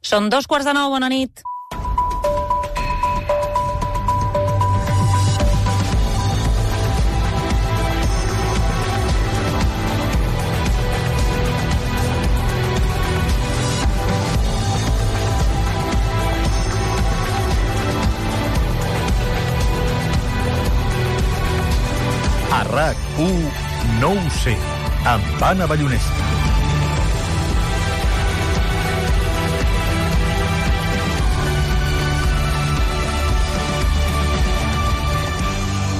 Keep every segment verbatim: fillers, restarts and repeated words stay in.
Són dos quarts de nou, bona nit. A RAC u no ho sé, amb Anna Ballonesta.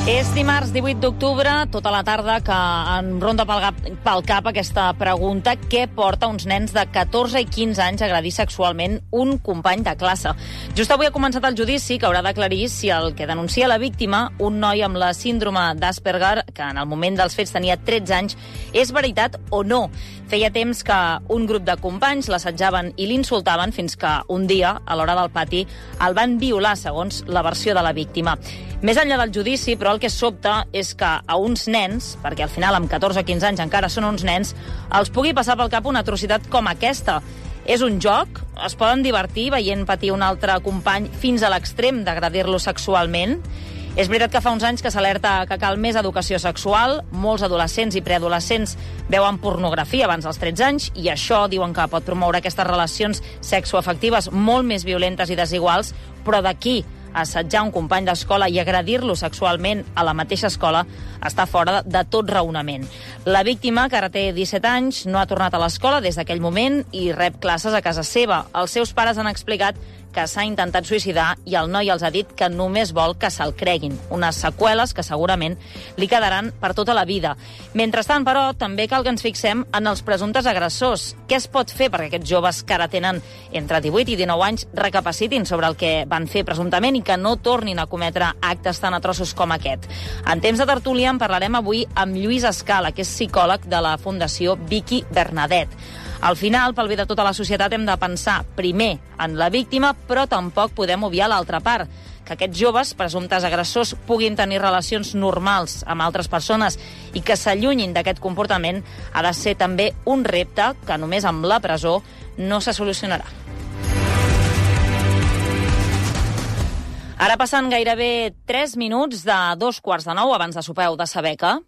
És dimarts divuit d'octubre, tota la tarda, que em ronda pel cap, pel cap aquesta pregunta: què porta uns nens de catorze i quinze anys a agredir sexualment un company de classe? Just avui ha començat el judici que haurà d'aclarir si el que denuncia la víctima, un noi amb la síndrome d'Asperger, que en el moment dels fets tenia tretze anys, és veritat o no. Feia temps que un grup de companys l'assetjaven i l'insultaven fins que un dia, a l'hora del pati, el van violar, segons la versió de la víctima. Més enllà del judici, però, el que sobta és que a uns nens, perquè al final amb catorze o quinze anys encara són uns nens, els pugui passar pel cap una atrocitat com aquesta. És un joc? Es poden divertir veient patir un altre company fins a l'extrem d'agredir-lo sexualment? És veritat que fa uns anys que s'alerta que cal més educació sexual, molts adolescents i preadolescents veuen pornografia abans dels tretze anys, i això diuen que pot promoure aquestes relacions sexoafectives molt més violentes i desiguals, però d'aquí assetjar un company d'escola i agredir-lo sexualment a la mateixa escola està fora de tot raonament. La víctima, que ara té disset anys, no ha tornat a l'escola des d'aquell moment i rep classes a casa seva. Els seus pares han explicat que s'ha intentat suïcidar i el noi els ha dit que només vol que se'l creguin. Unes seqüeles que segurament li quedaran per tota la vida. Mentrestant, però, també cal que ens fixem en els presumptes agressors. Què es pot fer perquè aquests joves que ara tenen entre divuit i dinou anys recapacitin sobre el que van fer presumptament i que no tornin a cometre actes tan atroços com aquest? En temps de tertúlia en parlarem avui amb Lluís Escala, que és psicòleg de la Fundació Vicky Bernadet. Al final, pel bé de tota la societat, hem de pensar primer en la víctima, però tampoc podem obviar l'altra part, que aquests joves, presumptes agressors, puguin tenir relacions normals amb altres persones i que s'allunyin d'aquest comportament ha de ser també un repte que només amb la presó no se solucionarà. Ara passen gairebé tres minuts de dos quarts de nou, abans de sopar heu de saber que...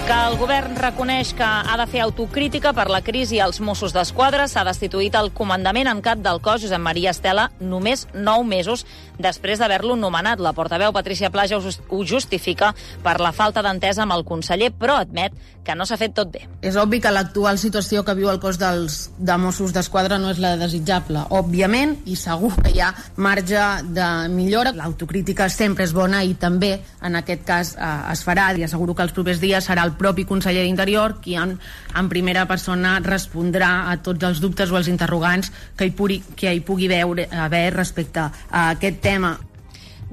que el govern reconeix que ha de fer autocrítica per la crisi als Mossos d'Esquadra. S'ha destituït el comandament en cap del cos, Josep Maria Estela, només nou mesos després d'haver-lo nomenat. La portaveu Patricia Plaja ho justifica per la falta d'entesa amb el conseller, però admet que no s'ha fet tot bé. És obvi que l'actual situació que viu el cos dels, de Mossos d'Esquadra no és la desitjable, òbviament, i segur que hi ha marge de millora. L'autocrítica sempre és bona i també, en aquest cas, eh, es farà. I asseguro que els propers dies serà el propi conseller d'Interior qui en, en primera persona respondrà a tots els dubtes o els interrogants que hi pugui, que hi pugui veure, haver respecte a aquest tema.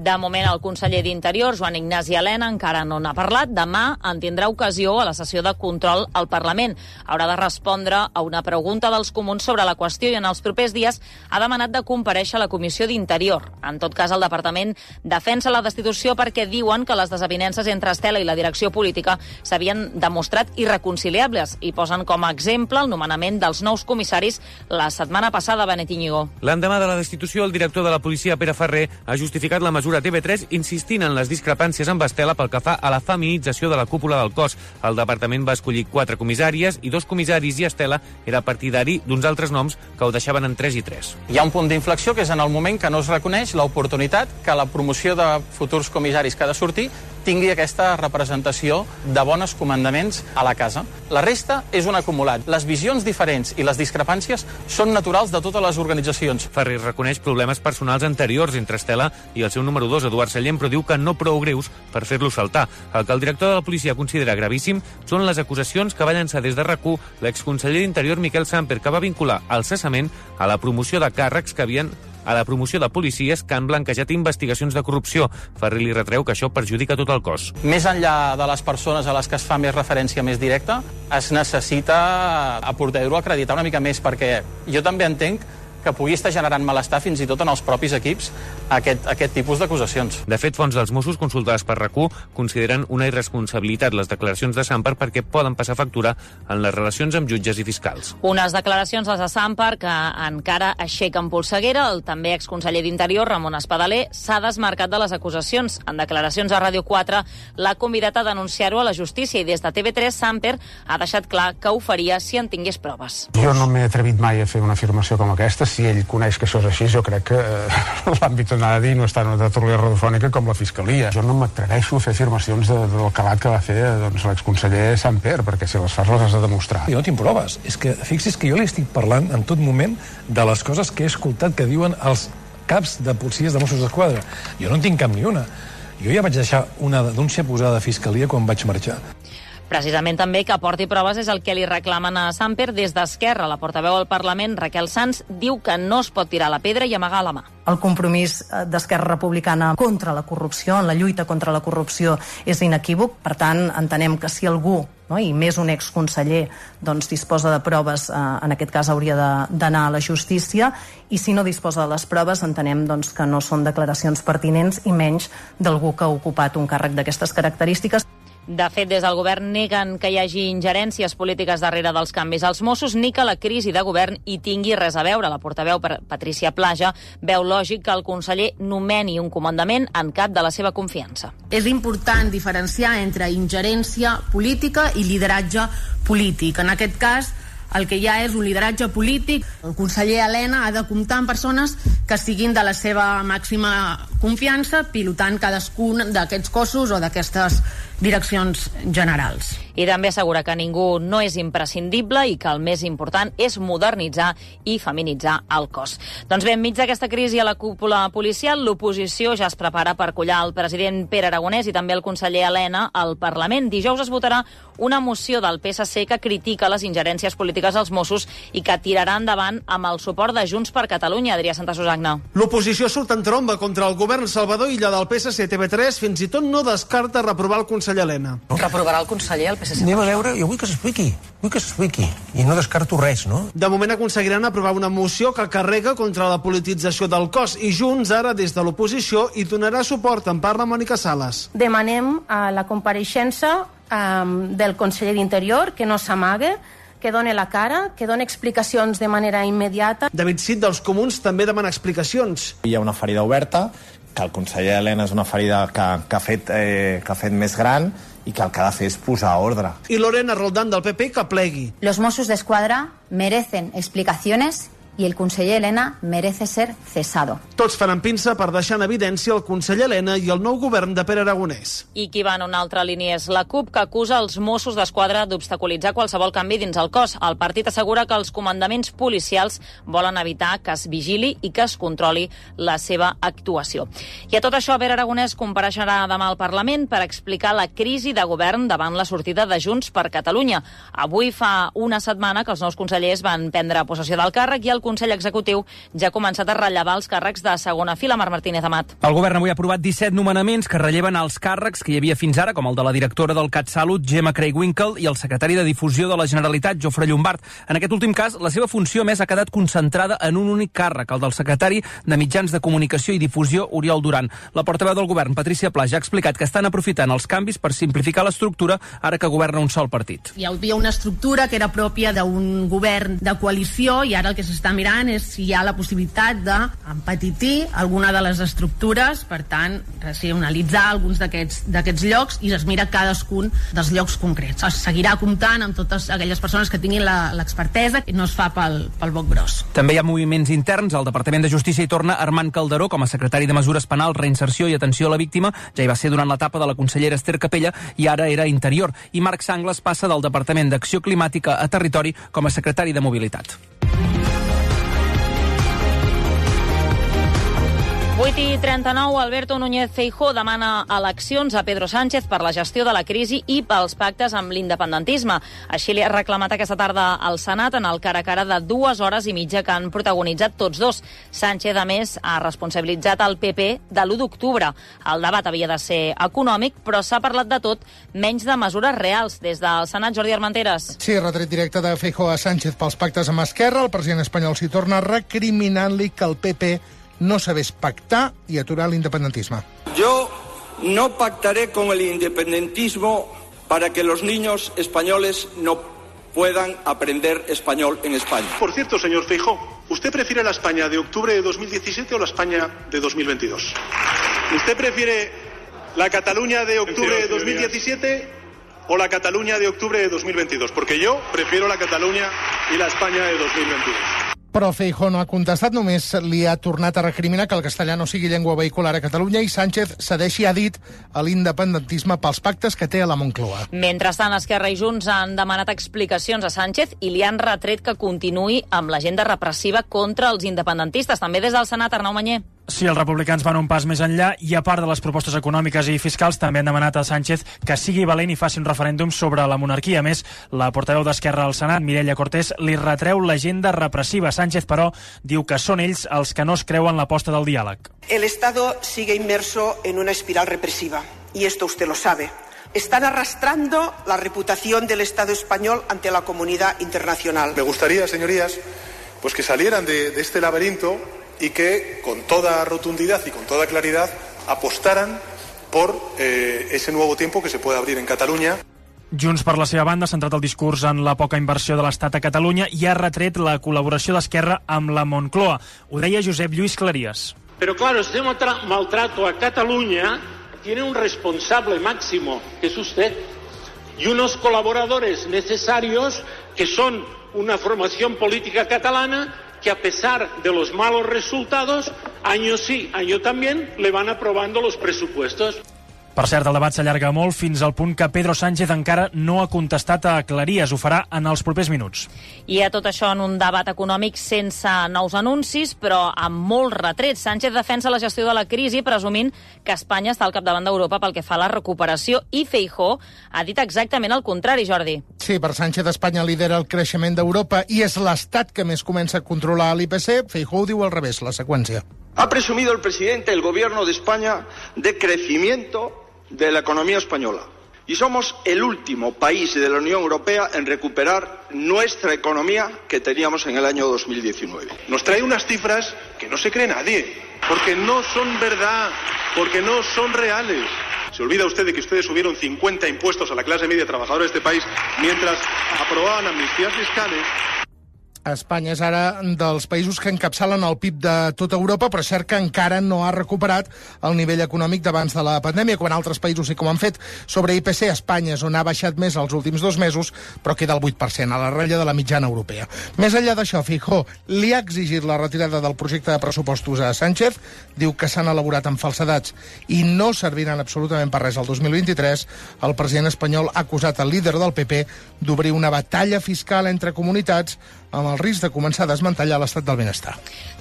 De moment, el conseller d'Interior, Joan Ignasi Elena, encara no n'ha parlat. Demà en tindrà ocasió a la sessió de control al Parlament. Haurà de respondre a una pregunta dels comuns sobre la qüestió i en els propers dies ha demanat de comparèixer a la Comissió d'Interior. En tot cas, el Departament defensa la destitució perquè diuen que les desavinences entre Estela i la direcció política s'havien demostrat irreconciliables i posen com a exemple el nomenament dels nous comissaris la setmana passada, Benet Íñigo. L'endemà de la destitució, el director de la policia, Pere Ferrer, ha justificat la mesura a T V tres insistint en les discrepàncies amb Estela pel que fa a la feminització de la cúpula del cos. El departament va escollir quatre comissàries i dos comissaris i Estela era partidari d'uns altres noms que ho deixaven en tres i tres. Hi ha un punt d'inflexió que és en el moment que no es reconeix l'oportunitat que la promoció de futurs comissaris que ha de sortir tingui aquesta representació de bons comandaments a la casa. La resta és un acumulat. Les visions diferents i les discrepàncies són naturals de totes les organitzacions. Ferrer reconeix problemes personals anteriors entre Estela i el seu número dos, Eduard Sallent, però diu que no prou greus per fer-lo saltar. El que el director de la policia considera gravíssim són les acusacions que va llançar des de RAC u l'exconseller d'Interior Miquel Samper, que va vincular el cessament a la promoció de càrrecs que havien a la promoció de policies que han blanquejat investigacions de corrupció. Ferrer li retreu que això perjudica tot el cos. Més enllà de les persones a les que es fa més referència més directa, es necessita a Portedro acreditar una mica més, perquè jo també entenc que pugui estar generant malestar fins i tot en els propis equips aquest, aquest tipus d'acusacions. De fet, fonts dels Mossos consultades per RAC u consideren una irresponsabilitat les declaracions de Samper perquè poden passar factura en les relacions amb jutges i fiscals. Unes declaracions, les de Samper, que encara aixequen polseguera. El també exconseller d'Interior, Ramon Espadaler, s'ha desmarcat de les acusacions. En declaracions a Ràdio quatre l'ha convidat a denunciar-ho a la justícia i des de T V tres Samper ha deixat clar que ho faria si en tingués proves. Jo no m'he atrevit mai a fer una afirmació com aquesta. Si ell coneix que això és així, jo crec que eh, l'àmbit on ha de dir no està en una tertúlia radiofònica com la Fiscalia. Jo no m'atreveixo a fer afirmacions de, del calat que va fer doncs, l'exconseller Samper, perquè si les fas les has de demostrar. Jo no tinc proves. És que fixi's que jo li estic parlant en tot moment de les coses que he escoltat que diuen els caps de policies de Mossos d'Esquadra. Jo no en tinc cap ni una. Jo ja vaig deixar una denúncia posada a Fiscalia quan vaig marxar. Precisament també que aporti proves és el que li reclamen a Samper des d'Esquerra. La portaveu al Parlament, Raquel Sans, diu que no es pot tirar la pedra i amagar la mà. El compromís d'Esquerra Republicana contra la corrupció, en la lluita contra la corrupció, és inequívoc. Per tant, entenem que si algú, no, i més un exconseller, doncs, disposa de proves, eh, en aquest cas hauria d'anar a la justícia, i si no disposa de les proves, entenem doncs, que no són declaracions pertinents i menys d'algú que ha ocupat un càrrec d'aquestes característiques. De fet, des del govern neguen que hi hagi ingerències polítiques darrere dels canvis als Mossos ni que la crisi de govern hi tingui res a veure. La portaveu Patrícia Plaja veu lògic que el conseller nomeni un comandament en cap de la seva confiança. És important diferenciar entre ingerència política i lideratge polític. En aquest cas, el que hi ha és un lideratge polític. El conseller Elena ha de comptar amb persones que siguin de la seva màxima confiança, pilotant cadascun d'aquests cossos o d'aquestes direccions generals. I també assegura que ningú no és imprescindible i que el més important és modernitzar i feminitzar el cos. Doncs bé, enmig d'aquesta crisi a la cúpula policial, l'oposició ja es prepara per collar el president Pere Aragonès i també el conseller Elena al Parlament. Dijous es votarà una moció del P S C que critica les ingerències polítiques als Mossos i que tirarà endavant amb el suport de Junts per Catalunya. Adrià Santasusagna. L'oposició surt en tromba contra el govern Salvador Illa del P S C. T V tres fins i tot no descarta reprovar el conseller Elena. Reprovarà el conseller, el P S C? Anem a veure, jo vull que s'expliqui, vull que s'expliqui, i no descarto res, no? De moment aconseguiran aprovar una moció que carrega contra la politització del cos i Junts ara des de l'oposició hi donarà suport, en parla Mònica Sales. Demanem a la compareixença um, del conseller d'Interior que no s'amague, que doni la cara, que doni explicacions de manera immediata. David Cid dels Comuns també demana explicacions. Hi ha una ferida oberta, que el conseller Elena és una ferida que, que, ha, fet, eh, que ha fet més gran i que el que ha de fer és posar ordre. I Lorena Roldán del P P que plegui. Los Mossos d'Esquadra merecen explicaciones i el conseller Elena merece ser cesado. Tots faran pinça per deixar en evidència el conseller Elena i el nou govern de Pere Aragonès. I qui va en una altra línia és la CUP, que acusa els Mossos d'Esquadra d'obstaculitzar qualsevol canvi dins el cos. El partit assegura que els comandaments policials volen evitar que es vigili i que es controli la seva actuació. I a tot això, Pere Aragonès compareixerà demà al Parlament per explicar la crisi de govern davant la sortida de Junts per Catalunya. Avui fa una setmana que els nous consellers van prendre possessió del càrrec i el Consell Executiu ja ha començat a rellevar els càrrecs de segona fila. Marc Martínez Amat. El govern avui ha aprovat disset nomenaments que relleven els càrrecs que hi havia fins ara, com el de la directora del CatSalut, Gemma Craig-Winkle, i el secretari de Difusió de la Generalitat, Jofre Llombart. En aquest últim cas, la seva funció més ha quedat concentrada en un únic càrrec, el del secretari de Mitjans de Comunicació i Difusió, Oriol Duran. La portaveu del govern, Patrícia Plaja, ha explicat que estan aprofitant els canvis per simplificar l'estructura ara que governa un sol partit. Hi havia una estructura que era pròpia d'un govern de coalició i ara el que s'està mirant és si hi ha la possibilitat d'empetitir alguna de les estructures, per tant, racionalitzar alguns d'aquests llocs i es mira cadascun dels llocs concrets. Es seguirà comptant amb totes aquelles persones que tinguin l'expertesa i no es fa pel, pel boc gros. També hi ha moviments interns. Al Departament de Justícia hi torna Armand Calderó com a secretari de Mesures Penals, Reinserció i Atenció a la Víctima. Ja hi va ser durant l'etapa de la consellera Esther Capella i ara era Interior. I Marc Sangles passa del Departament d'Acció Climàtica a Territori com a secretari de Mobilitat. Vuit vuit i trenta-nou, Alberto Núñez Feijóo demana eleccions a Pedro Sánchez per la gestió de la crisi i pels pactes amb l'independentisme. Així li ha reclamat aquesta tarda al Senat en el cara a cara de dues hores i mitja que han protagonitzat tots dos. Sánchez, a més, ha responsabilitzat el P P de l'u d'octubre. El debat havia de ser econòmic, però s'ha parlat de tot, menys de mesures reals. Des del Senat, Jordi Armenteres. Sí, retret directe de Feijóo a Sánchez pels pactes amb Esquerra. El president espanyol s'hi torna recriminant-li que el P P no sabés pactar y aturar el independentismo. Yo no pactaré con el independentismo para que los niños españoles no puedan aprender español en España. Por cierto, señor Feijóo, ¿usted prefiere la España de octubre de dos mil diecisiete o la España de dos mil veintidós? ¿Usted prefiere la Cataluña de octubre de dos mil diecisiete o la Cataluña de octubre de dos mil veintidós? Porque yo prefiero la Cataluña y la España de dos mil veintidós. Però Feijóo no ha contestat, només li ha tornat a recriminar que el castellà no sigui llengua vehicular a Catalunya i Sánchez cedeixi, ha dit, a l'independentisme pels pactes que té a la Moncloa. Mentrestant, Esquerra i Junts han demanat explicacions a Sánchez i li han retret que continuï amb l'agenda repressiva contra els independentistes. També des del Senat, Arnau Manyer. Sí, els republicans van un pas més enllà i, a part de les propostes econòmiques i fiscals, també han demanat a Sánchez que sigui valent i faci un referèndum sobre la monarquia. A més, la portaveu d'Esquerra al Senat, Mireia Cortés, li retreu l'agenda repressiva. Sánchez, però, diu que són ells els que no es creuen l'aposta del diàleg. El Estado sigue inmerso en una espiral represiva, y esto usted lo sabe. Están arrastrando la reputación del Estado español ante la comunidad internacional. Me gustaría, señorías, pues que salieran de, de este laberinto y que con toda rotundidad y con toda claridad apostaran por eh, ese nuevo tiempo que se puede abrir en Cataluña. Junts, per la seva banda, ha centrat el discurs en la poca inversió de l'Estat a Catalunya i ha retret la col·laboració d'Esquerra amb la Moncloa. Ho deia Josep Lluís Claries. Pero claro, este maltrato a Cataluña tiene un responsable máximo, que es usted, y unos colaboradores necesarios que son una formación política catalana que, a pesar de los malos resultados, año sí, año también, le van aprobando los presupuestos. Per cert, el debat s'allarga molt fins al punt que Pedro Sánchez encara no ha contestat a Claries. Ho farà en els propers minuts. I a tot això en un debat econòmic sense nous anuncis, però amb molts retrets. Sánchez defensa la gestió de la crisi, presumint que Espanya està al capdavant d'Europa pel que fa a la recuperació, i Feijóo ha dit exactament el contrari, Jordi. Sí, per Sánchez, Espanya lidera el creixement d'Europa i és l'Estat que més comença a controlar l'I P C. Feijóo diu al revés, la seqüència. Ha presumido el presidente del gobierno de España de crecimiento de la economía española. Y somos el último país de la Unión Europea en recuperar nuestra economía que teníamos en el año dos mil diecinueve. Nos trae unas cifras que no se cree nadie, porque no son verdad, porque no son reales. Se olvida usted de que ustedes subieron cincuenta impuestos a la clase media trabajadora de este país mientras aprobaban amnistías fiscales. Espanya és ara dels països que encapçalen el P I B de tota Europa, però és cert que encara no ha recuperat el nivell econòmic d'abans de la pandèmia, quan altres països sí que ho han fet. Sobre I P C, Espanya és on ha baixat més els últims dos mesos, però queda el vuit per cent, a la ratlla de la mitjana europea. Més enllà d'això, Feijóo li ha exigit la retirada del projecte de pressupostos a Sánchez, diu que s'han elaborat amb falsedats i no serviran absolutament per res el dos mil vint-i-tres. El president espanyol ha acusat el líder del P P d'obrir una batalla fiscal entre comunitats amb el risc de començar a desmantellar l'estat del benestar.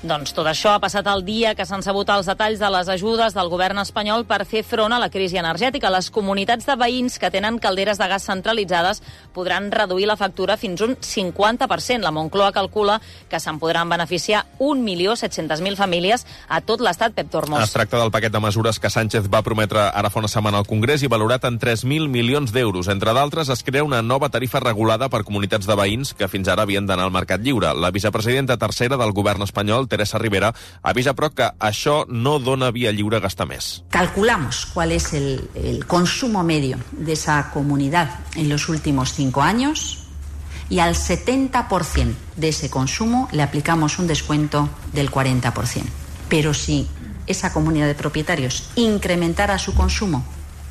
Doncs tot això ha passat el dia que s'han sabut els detalls de les ajudes del govern espanyol per fer front a la crisi energètica. Les comunitats de veïns que tenen calderes de gas centralitzades podran reduir la factura fins un cinquanta per cent. La Moncloa calcula que se'n podran beneficiar un milió set-cents mil famílies a tot l'estat. Pep Tormos. Es tracta del paquet de mesures que Sánchez va prometre ara fa una setmana al Congrés i valorat en tres mil milions d'euros. Entre d'altres, es crea una nova tarifa regulada per comunitats de veïns que fins ara havien d'anar al mercat lliure. La vicepresidenta tercera del govern espanyol, Teresa Rivera, avisa però que això no dona via lliure a gastar més. Calculamos cuál es el, el consumo medio de esa comunidad en los últimos cinco años y al setenta por ciento de ese consumo le aplicamos un descuento del cuarenta por ciento. Pero si esa comunidad de propietarios incrementara su consumo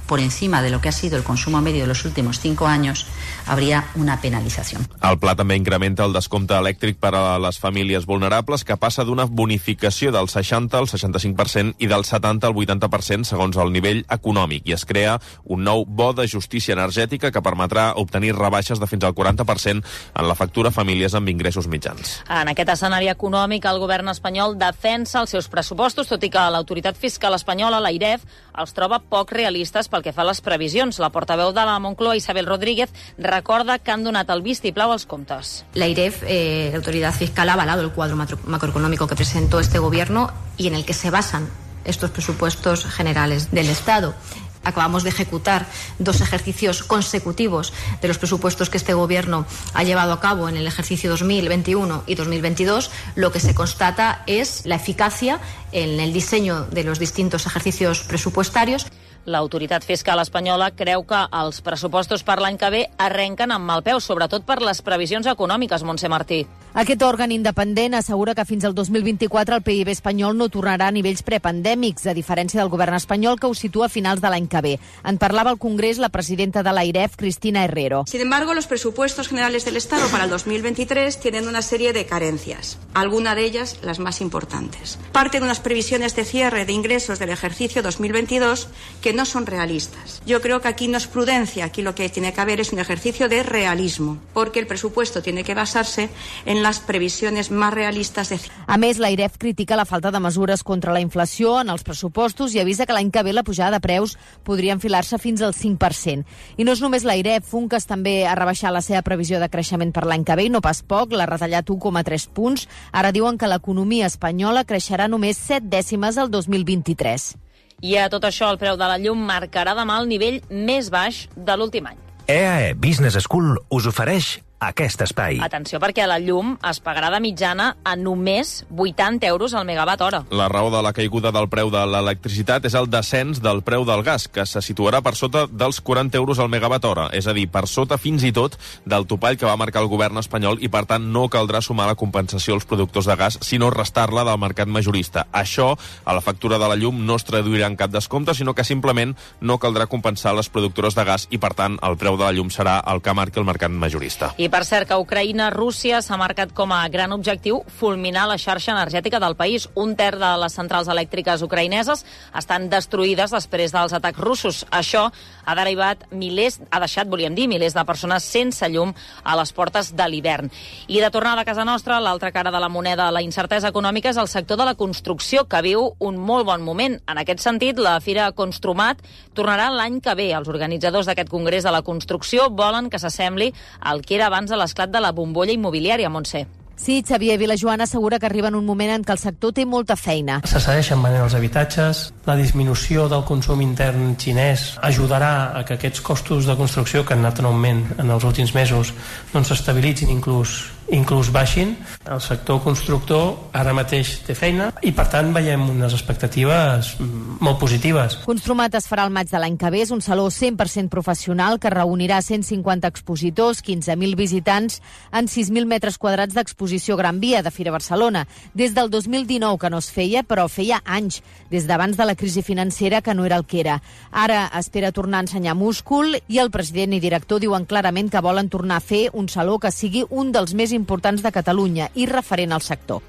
por encima de lo que ha sido el consumo medio de los últimos cinco años, habría una penalización. El pla també incrementa el descompte elèctric per a les famílies vulnerables, que passa d'una bonificació del seixanta al seixanta-cinc per cent i del setanta al vuitanta per cent segons el nivell econòmic, i es crea un nou bo de justícia energètica que permetrà obtenir rebaixes de fins al quaranta per cent en la factura a famílies amb ingressos mitjans. En aquest escenari econòmic, el govern espanyol defensa els seus pressupostos, tot i que l'autoritat fiscal espanyola, l'AIREF, els troba poc realistes pel que fa a les previsions. La portaveu de la Moncloa, Isabel Rodríguez, recorda que han donat el vistiplau als comptes. La AIREF, eh, la autoridad fiscal, ha avalado el cuadro macroeconómico que presentó este gobierno y en el que se basan estos presupuestos generales del Estado. Acabamos de ejecutar dos ejercicios consecutivos de los presupuestos que este gobierno ha llevado a cabo en el ejercicio dos mil veintiuno y dos mil veintidós. Lo que se constata es la eficacia en el diseño de los distintos ejercicios presupuestarios. L'autoritat fiscal espanyola creu que els pressupostos per l'any que ve arrenquen amb mal peu, sobretot per les previsions econòmiques, Montse Martí. Aquest òrgan independent assegura que fins al dos mil vint-i-quatre el P I B espanyol no tornarà a nivells prepandèmics, a diferència del govern espanyol, que ho situa a finals de l'any que ve. En parlava al Congrés la presidenta de l'AIREF, Cristina Herrero. Sin embargo, los presupuestos generales del Estado para el dos mil veintitrés tienen una serie de carencias, algunas de ellas las más importantes. Parten unas previsiones de cierre de ingresos del ejercicio dos mil veintidós que no son realistas. Yo creo que aquí no es prudencia, aquí lo que tiene que haber es un ejercicio de realismo, porque el presupuesto tiene que basarse en las previsiones más realistas de... A més, l'AIREF critica la falta de mesures contra la inflació en els pressupostos i avisa que l'any que ve la pujada de preus podria enfilar-se fins al cinc per cent. I no és només l'AIREF, Funcas també ha rebaixat la seva previsió de creixement per l'any que ve, i no pas poc, l'ha retallat un coma tres punts. Ara diuen que l'economia espanyola creixerà només set dècimes el dos mil vint-i-tres. I a tot això, el preu de la llum marcarà demà el nivell més baix de l'últim any. E A E Business School us ofereix aquest espai. Atenció, perquè la llum es pagarà de mitjana a només vuitanta euros al megawatt hora. La raó de la caiguda del preu de l'electricitat és el descens del preu del gas, que se situarà per sota dels quaranta euros al megawatt hora, és a dir, per sota fins i tot del topall que va marcar el govern espanyol, i per tant no caldrà sumar la compensació als productors de gas, sinó restar-la del mercat majorista. Això, a la factura de la llum, no es traduirà en cap descompte, sinó que simplement no caldrà compensar les productores de gas, i per tant el preu de la llum serà el que marqui el mercat majorista. I per cert, que Ucraïna, Rússia s'ha marcat com a gran objectiu fulminar la xarxa energètica del país. Un terç de les centrals elèctriques ucraïneses estan destruïdes després dels atacs russos. Això ha derivat milers, ha deixat, volíem dir, milers de persones sense llum a les portes de l'hivern. I de tornada a casa nostra, l'altra cara de la moneda, la incertesa econòmica, és el sector de la construcció, que viu un molt bon moment. En aquest sentit, la Fira Construmat tornarà l'any que ve. Els organitzadors d'aquest congrés de la construcció volen que s'assembli al que era abans de l'esclat de la bombolla immobiliària, Montse. Sí, Xavier Vilajoana assegura que arriba en un moment en què el sector té molta feina. Se segueixen venent els habitatges, la disminució del consum intern xinès ajudarà a que aquests costos de construcció que han anat en augment en els últims mesos doncs s'estabilitzin, inclús inclús baixin. El sector constructor ara mateix té feina i, per tant, veiem unes expectatives molt positives. Construmat es farà el maig de l'any que ve. És un saló cent per cent professional que reunirà cent cinquanta expositors, quinze mil visitants en sis mil metres quadrats d'exposició Gran Via de Fira Barcelona. Des del dos mil dinou que no es feia, però feia anys, des d'abans de la crisi financera, que no era el que era. Ara espera tornar a ensenyar múscul i el president i director diuen clarament que volen tornar a fer un saló que sigui un dels més importants de Catalunya i referent al sector.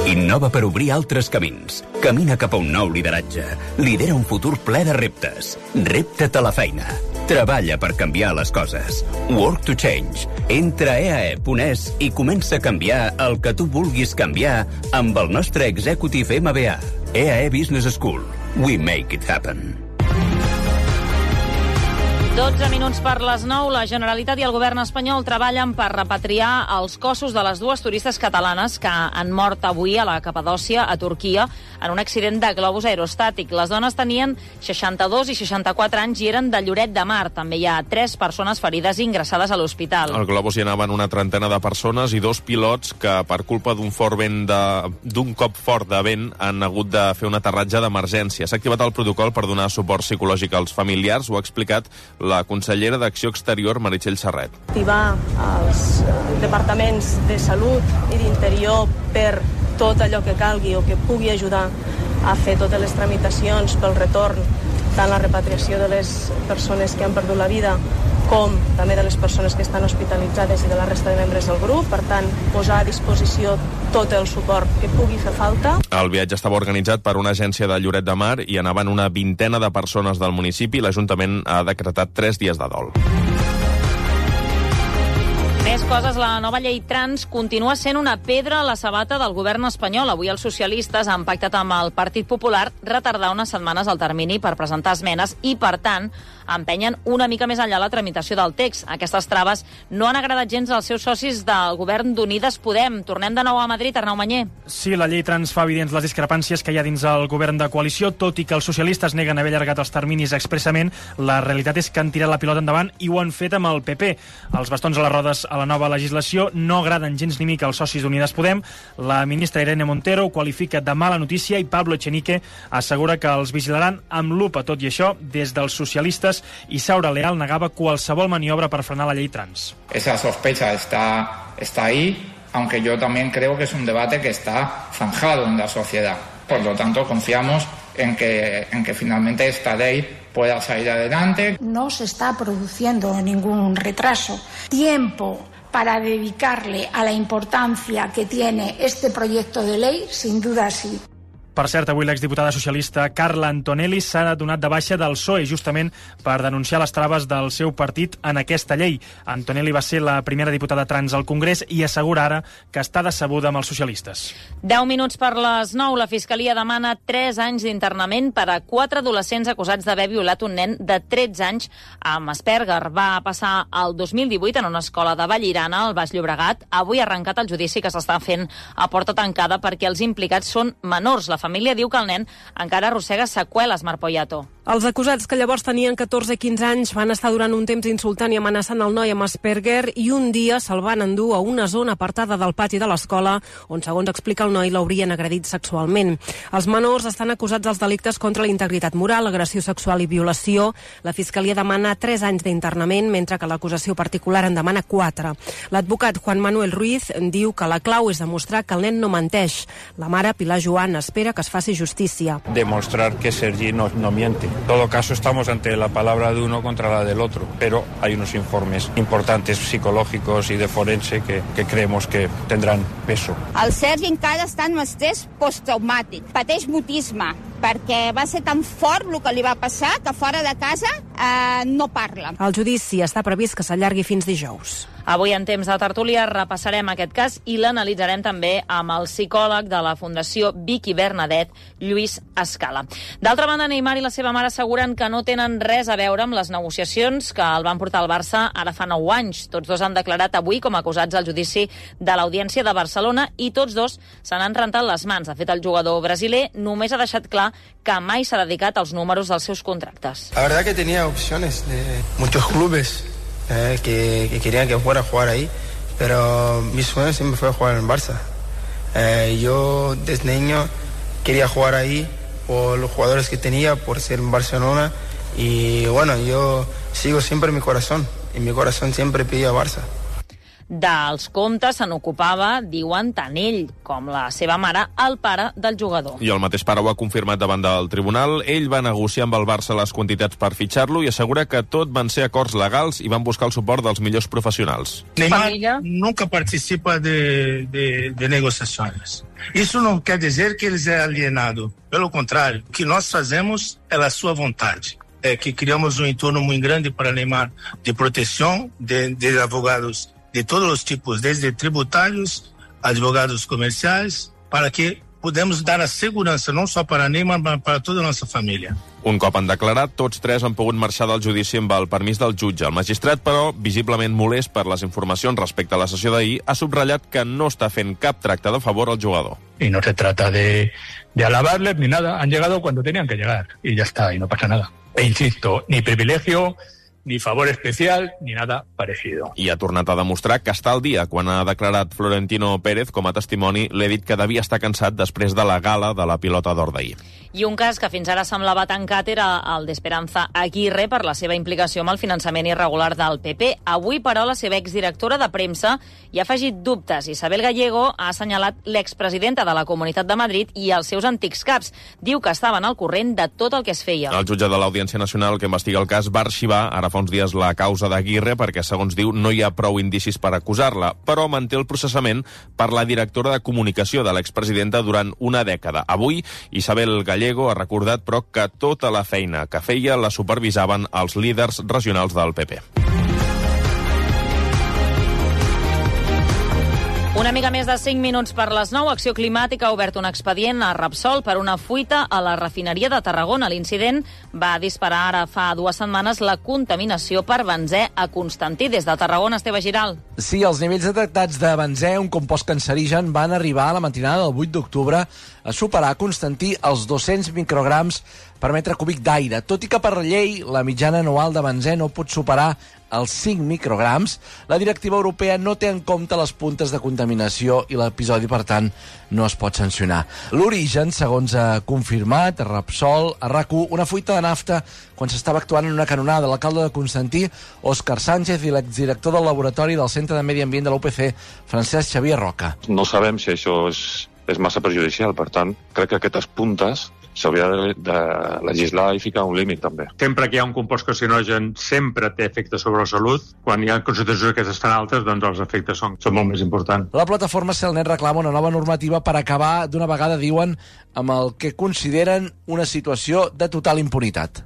Innova per obrir altres camins. Camina cap a un nou lideratge. Lidera un futur ple de reptes. Repta't a la feina. Treballa per canviar les coses. Work to change. Entra a e a e punt es i comença a canviar el que tu vulguis canviar amb el nostre Executive M B A. E A E Business School. We make it happen. dotze minuts per les nou. La Generalitat i el govern espanyol treballen per repatriar els cossos de les dues turistes catalanes que han mort avui a la Capadòcia, a Turquia, en un accident de globus aerostàtic. Les dones tenien seixanta-dos i seixanta-quatre anys i eren de Lloret de Mar. També hi ha tres persones ferides i ingressades a l'hospital. Al globus hi anaven una trentena de persones i dos pilots que, per culpa d'un fort vent de, d'un cop fort de vent, han hagut de fer un aterratge d'emergència. S'ha activat el protocol per donar suport psicològic als familiars. Ho ha explicat la consellera d'Acció Exterior, Meritxell Serret. Activar els departaments de Salut i d'Interior per tot allò que calgui o que pugui ajudar a fer totes les tramitacions pel retorn, tant la repatriació de les persones que han perdut la vida com també de les persones que estan hospitalitzades i de la resta de membres del grup. Per tant, posar a disposició tot el suport que pugui fer falta. El viatge estava organitzat per una agència de Lloret de Mar i anaven una vintena de persones del municipi. L'Ajuntament ha decretat tres dies de dol. Més coses, la nova llei trans continua sent una pedra a la sabata del govern espanyol. Avui els socialistes han pactat amb el Partit Popular retardar unes setmanes el termini per presentar esmenes i, per tant, empenyen una mica més enllà la tramitació del text. Aquestes traves no han agradat gens als seus socis del govern d'Unides Podem. Tornem de nou a Madrid, Arnau Manyer. Sí, la llei trans fa evidents les discrepàncies que hi ha dins el govern de coalició, tot i que els socialistes neguen haver allargat els terminis expressament. La realitat és que han tirat la pilota endavant i ho han fet amb el P P. Els bastons a les rodes a la nova legislació no agraden gens ni mica als socis d'Unides Podem. La ministra Irene Montero ho qualifica de mala notícia i Pablo Echenique assegura que els vigilaran amb lupa. Tot i això, des dels socialistes, Isaura Leal negava qualsevol maniobra per frenar la llei trans. Esa sospecha está, está ahí, aunque yo también creo que es un debate que está zanjado en la sociedad. Por lo tanto, confiamos en que, en que finalmente esta ley pueda salir adelante. No se está produciendo ningún retraso. Tiempo para dedicarle a la importancia que tiene este proyecto de ley, sin duda sí. Per cert, avui l'exdiputada socialista Carla Antonelli s'ha donat de baixa del P S O E justament per denunciar les traves del seu partit en aquesta llei. Antonelli va ser la primera diputada trans al Congrés i assegura ara que està decebuda amb els socialistes. deu minuts per les nou. La Fiscalia demana tres anys d'internament per a quatre adolescents acusats d'haver violat un nen de tretze anys amb Asperger. Va passar el dos mil divuit en una escola de Vallirana, al Baix Llobregat. Avui ha arrencat el judici que s'està fent a porta tancada perquè els implicats són menors. La família diu que el nen encara arrossega seqüeles, Marc Poyato. Els acusats, que llavors tenien catorze i quinze anys, van estar durant un temps insultant i amenaçant el noi amb Asperger i un dia se'l van endur a una zona apartada del pati de l'escola on, segons explica el noi, l'haurien agredit sexualment. Els menors estan acusats dels delictes contra la integritat moral, agressió sexual i violació. La Fiscalia demana tres anys d'internament, mentre que l'acusació particular en demana quatre. L'advocat Juan Manuel Ruiz diu que la clau és demostrar que el nen no menteix. La mare, Pilar Joan, espera que es faci justícia. Demostrar que Sergi no, no miente. En todo caso, estamos ante la palabra de uno contra la del otro, pero hay unos informes importantes psicológicos y de forense que, que creemos que tendrán peso. El Sergi encara està en estrès posttraumàtic, pateix mutisme, perquè va ser tan fort el que li va passar que fora de casa eh, no parla. El judici està previst que s'allargui fins dijous. Avui, en temps de tertúlia, repassarem aquest cas i l'analitzarem també amb el psicòleg de la Fundació Vicky Bernadet, Lluís Escala. D'altra banda, Neymar i la seva mare asseguren que no tenen res a veure amb les negociacions que el van portar al Barça ara fa nou anys. Tots dos han declarat avui com acusats al judici de l'Audiència de Barcelona i tots dos se n'han rentat les mans. De fet, el jugador brasiler només ha deixat clar que mai s'ha dedicat als números dels seus contractes. La verdad que tenía opciones de muchos clubes eh, que, que querían que fuera a jugar ahí, pero mi sueño siempre fue jugar en Barça. Eh, yo desde niño quería jugar ahí por los jugadores que tenía, por ser en Barcelona, y bueno, yo sigo siempre en mi corazón, y mi corazón siempre pide a Barça. Dels comptes se n'ocupava, diuen, tant ell com la seva mare, el pare del jugador. I el mateix pare ho ha confirmat davant del tribunal. Ell va negociar amb el Barça les quantitats per fitxar-lo i assegura que tot van ser acords legals i van buscar el suport dels millors professionals. Neymar nunca participa de, de, de negociações. Isso não quer dizer que ele é alienado. Pelo contrário, o que nós fazemos é a sua vontade. É que criamos um entorno muito grande para Neymar de proteção de, de advogados de todos os tipos, desde tributários, advogados comerciais, para que podemos dar a segurança não só para Neymar, mas para toda a nossa família. Un cop han declarat, tots tres han pogut marxar del judici amb el permís del jutge. El magistrat, però, visiblement molest per les informacions respecte a la sessió d'ahir, ha subratllat que no està fent cap tracte de favor al jugador. Y no se trata de, de alabarles ni nada. Han llegado cuando tenían que llegar y ya está, y no pasa nada. E insisto, ni privilegio, ni favor especial, ni nada parecido. I ha tornat a demostrar que està al dia. Quan ha declarat Florentino Pérez com a testimoni, l'he dit que devia estar cansat després de la gala de la pilota d'or d'ahir. I un cas que fins ara semblava tancat era el d'Esperanza Aguirre per la seva implicació amb el finançament irregular del P P. Avui, però, la seva exdirectora de premsa hi ha afegit dubtes. Isabel Gallego ha assenyalat l'expresidenta de la Comunitat de Madrid i els seus antics caps. Diu que estaven al corrent de tot el que es feia. El jutge de l'Audiència Nacional que investiga el cas va arxivar ara fa uns dies la causa d'Aguirre perquè, segons diu, no hi ha prou indicis per acusar-la, però manté el processament per la directora de comunicació de l'expresidenta durant una dècada. Avui, Isabel Gallego ha recordat, però, que tota la feina que feia la supervisaven els líders regionals del P P. Una mica més de cinc minuts per les nou. Acció Climàtica ha obert un expedient a Repsol per una fuita a la refineria de Tarragona. L'incident va disparar ara fa dues setmanes la contaminació per benzè a Constantí. Des de Tarragona, Esteve Giral. Sí, els nivells detectats de benzè, un compost cancerigen, van arribar a la matinada del vuit d'octubre a superar a Constantí els dos-cents micrograms per metre cúbic d'aire. Tot i que per llei la mitjana anual de benzè no pot superar els cinc micrograms, la directiva europea no té en compte les puntes de contaminació i l'episodi, per tant, no es pot sancionar. L'origen, segons ha confirmat a Repsol, a RAC u, una fuita de nafta quan s'estava actuant en una canonada. L'alcalde de Constantí, Òscar Sánchez, i l'exdirector del laboratori del Centre de Medi Ambient de l'U P C, Francesc Xavier Roca. No sabem si això és, és massa perjudicial, per tant, crec que aquestes puntes s'hauria de, de legislar i ficar un límit, també. Sempre que hi ha un compost carcinogen sempre té efectes sobre la salut. Quan hi ha concentracions aquestes tan altes, doncs els efectes són, són molt més importants. La plataforma Celnet reclama una nova normativa per acabar d'una vegada, diuen, amb el que consideren una situació de total impunitat.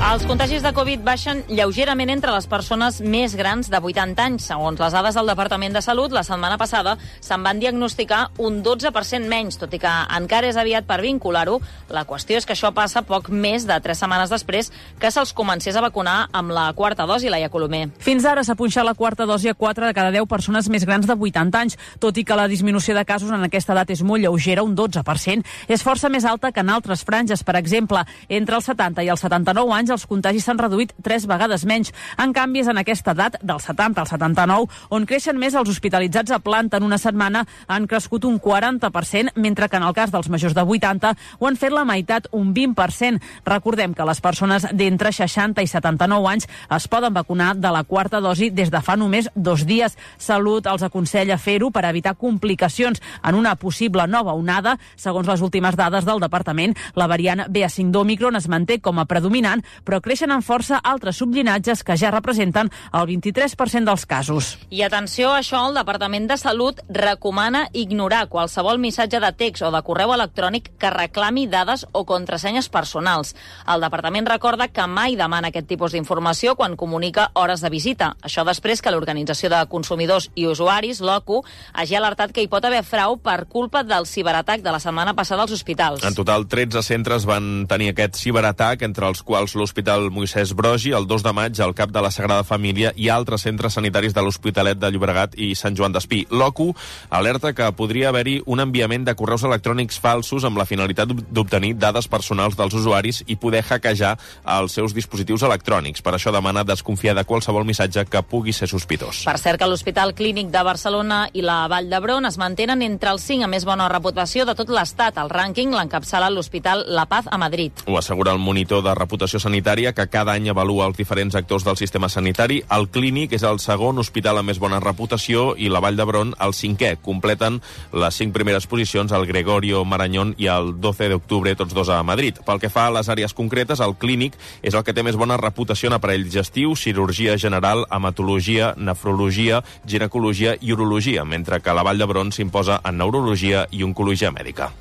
Els contagis de Covid baixen lleugerament entre les persones més grans de vuitanta anys. Segons les dades del Departament de Salut, la setmana passada se'n van diagnosticar un dotze per cent menys, tot i que encara és aviat per vincular-ho. La qüestió és que això passa poc més de tres setmanes després que se'ls comencés a vacunar amb la quarta dosi, Laia Colomer. Fins ara s'ha punxat la quarta dosi a quatre de cada deu persones més grans de vuitanta anys, tot i que la disminució de casos en aquesta edat és molt lleugera, un dotze per cent. És força més alta que en altres franges. Per exemple, entre els setanta i els setanta-nou anys els contagis s'han reduït tres vegades menys. En canvi, és en aquesta edat, del setanta al setanta-nou, on creixen més els hospitalitzats a planta. En una setmana han crescut un quaranta per cent, mentre que en el cas dels majors de vuitanta ho han fet la meitat, un vint per cent. Recordem que les persones d'entre seixanta i setanta-nou anys es poden vacunar de la quarta dosi des de fa només dos dies. Salut els aconsella fer-ho per evitar complicacions en una possible nova onada. Segons les últimes dades del departament, la variant B A cinc d'Òmicron es manté com a predominant, però creixen amb força altres subllinatges que ja representen el vint-i-tres per cent dels casos. I atenció a això, el Departament de Salut recomana ignorar qualsevol missatge de text o de correu electrònic que reclami dades o contrasenyes personals. El Departament recorda que mai demana aquest tipus d'informació quan comunica hores de visita. Això després que l'Organització de Consumidors i Usuaris, l'OCU, hagi alertat que hi pot haver frau per culpa del ciberatac de la setmana passada als hospitals. En total, tretze centres van tenir aquest ciberatac, entre els quals l'Hospital Moisès Brogi, el dos de maig, el cap de la Sagrada Família i altres centres sanitaris de l'Hospitalet de Llobregat i Sant Joan d'Espí. L'OCU alerta que podria haver-hi un enviament de correus electrònics falsos amb la finalitat d'obtenir dades personals dels usuaris i poder hackejar els seus dispositius electrònics. Per això demana desconfiar de qualsevol missatge que pugui ser sospitós. Per cert, que l'Hospital Clínic de Barcelona i la Vall d'Hebron es mantenen entre els cinc a més bona reputació de tot l'Estat. El rànquing l'encapçala l'Hospital La Paz a Madrid. Ho assegura el monitor de reputació sanitària, que cada any avalua els diferents actors del sistema sanitari. El Clínic és el segon hospital amb més bona reputació i la Vall d'Hebron el cinquè. Completen les cinc primeres posicions el Gregorio Marañón i el doce d'octubre, tots dos a Madrid. Pel que fa a les àrees concretes, el Clínic és el que té més bona reputació en aparell digestiu, cirurgia general, hematologia, nefrologia, ginecologia i urologia, mentre que la Vall d'Hebron s'imposa en neurologia i oncologia mèdica.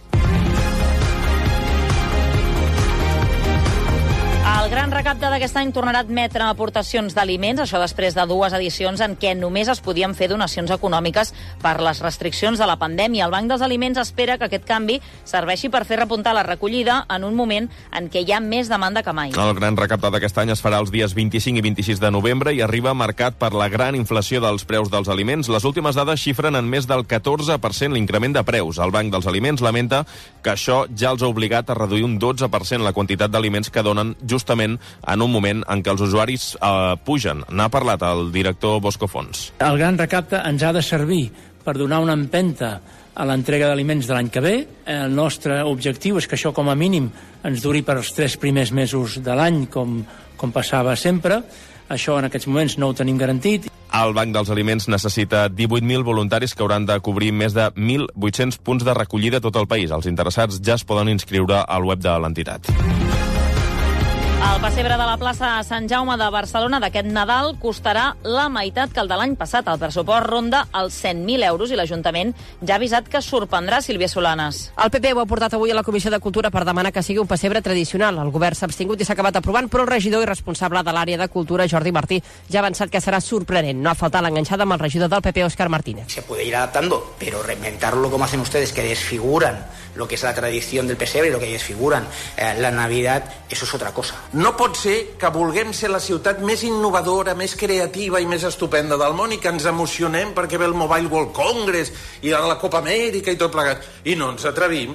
El gran recapte d'aquest any tornarà a admetre aportacions d'aliments, això després de dues edicions en què només es podien fer donacions econòmiques per les restriccions de la pandèmia. El Banc dels Aliments espera que aquest canvi serveixi per fer repuntar la recollida en un moment en què hi ha més demanda que mai. El gran recapte d'aquest any es farà els dies vint-i-cinc i vint-i-sis de novembre i arriba marcat per la gran inflació dels preus dels aliments. Les últimes dades xifren en més del catorze per cent l'increment de preus. El Banc dels Aliments lamenta que això ja els ha obligat a reduir un dotze per cent la quantitat d'aliments que donen justament en un moment en què els usuaris eh, pugen. N'ha parlat el director Bosco Fons. El gran recapte ens ha de servir per donar una empenta a l'entrega d'aliments de l'any que ve. El nostre objectiu és que això com a mínim ens duri per als tres primers mesos de l'any, com, com passava sempre. Això en aquests moments no ho tenim garantit. El Banc dels Aliments necessita divuit mil voluntaris que hauran de cobrir més de mil vuit-cents punts de recollida a tot el país. Els interessats ja es poden inscriure al web de l'entitat. El pessebre de la plaça Sant Jaume de Barcelona d'aquest Nadal costarà la meitat que el de l'any passat. El pressupost ronda els cent mil euros i l'Ajuntament ja ha avisat que sorprendrà Sílvia Solanes. El P P ho ha portat avui a la Comissió de Cultura per demanar que sigui un pessebre tradicional. El govern s'ha abstingut i s'ha acabat aprovant, però el regidor i responsable de l'àrea de cultura, Jordi Martí, ja ha avançat que serà sorprenent. No ha faltat l'enganxada amb el regidor del P P, Òscar Martínez. Se puede ir adaptando, pero reinventarlo como hacen ustedes, que desfiguran lo que es la tradición del pesebre y lo que desfiguran eh, la Navidad, eso es otra cosa. No pot ser que vulguem ser la ciutat més innovadora, més creativa i més estupenda del món i que ens emocionem perquè ve el Mobile World Congress i la Copa Amèrica i tot plegat. I no ens atrevim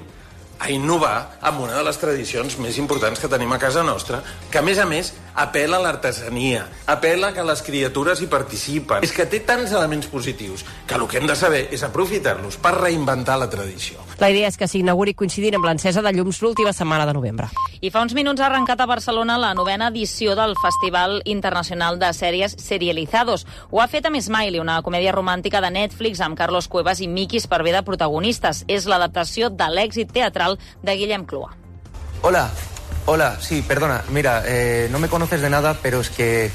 a innovar amb una de les tradicions més importants que tenim a casa nostra, que a més a més apela a l'artesania, apela que les criatures hi participen. És que té tants elements positius que el que hem de saber és aprofitar-los per reinventar la tradició. La idea és que s'inauguri coincidint amb l'encesa de llums l'última setmana de novembre. I fa uns minuts ha arrencat a Barcelona la novena edició del Festival Internacional de Sèries Serializados. Ho ha fet amb Smiley, una comèdia romàntica de Netflix amb Carlos Cuevas i Miki Esparvé de protagonistes. És l'adaptació de l'èxit teatral de Guillem Clua. Hola, hola, sí, perdona, mira, eh, no me conoces de nada, pero es que,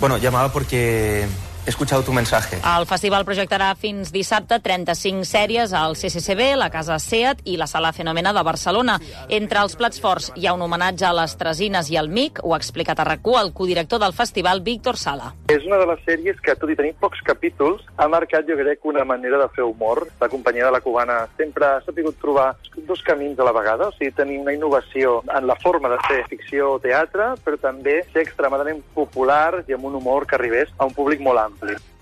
bueno, llamaba porque he escuchado tu mensaje. El festival projectarà fins dissabte trenta-cinc sèries al C C C B, la Casa SEAT i la Sala Fenomena de Barcelona. Entre els plats forts hi ha un homenatge a les Tresines i al M I C, ho ha explicat a RAC u el codirector del festival, Víctor Sala. És una de les sèries que, tot i tenir pocs capítols, ha marcat, jo crec, una manera de fer humor. La companyia de la Cubana sempre ha sabut trobar dos camins a la vegada, o sigui, tenir una innovació en la forma de fer ficció o teatre, però també ser extremadament popular i amb un humor que arribés a un públic molt ampli.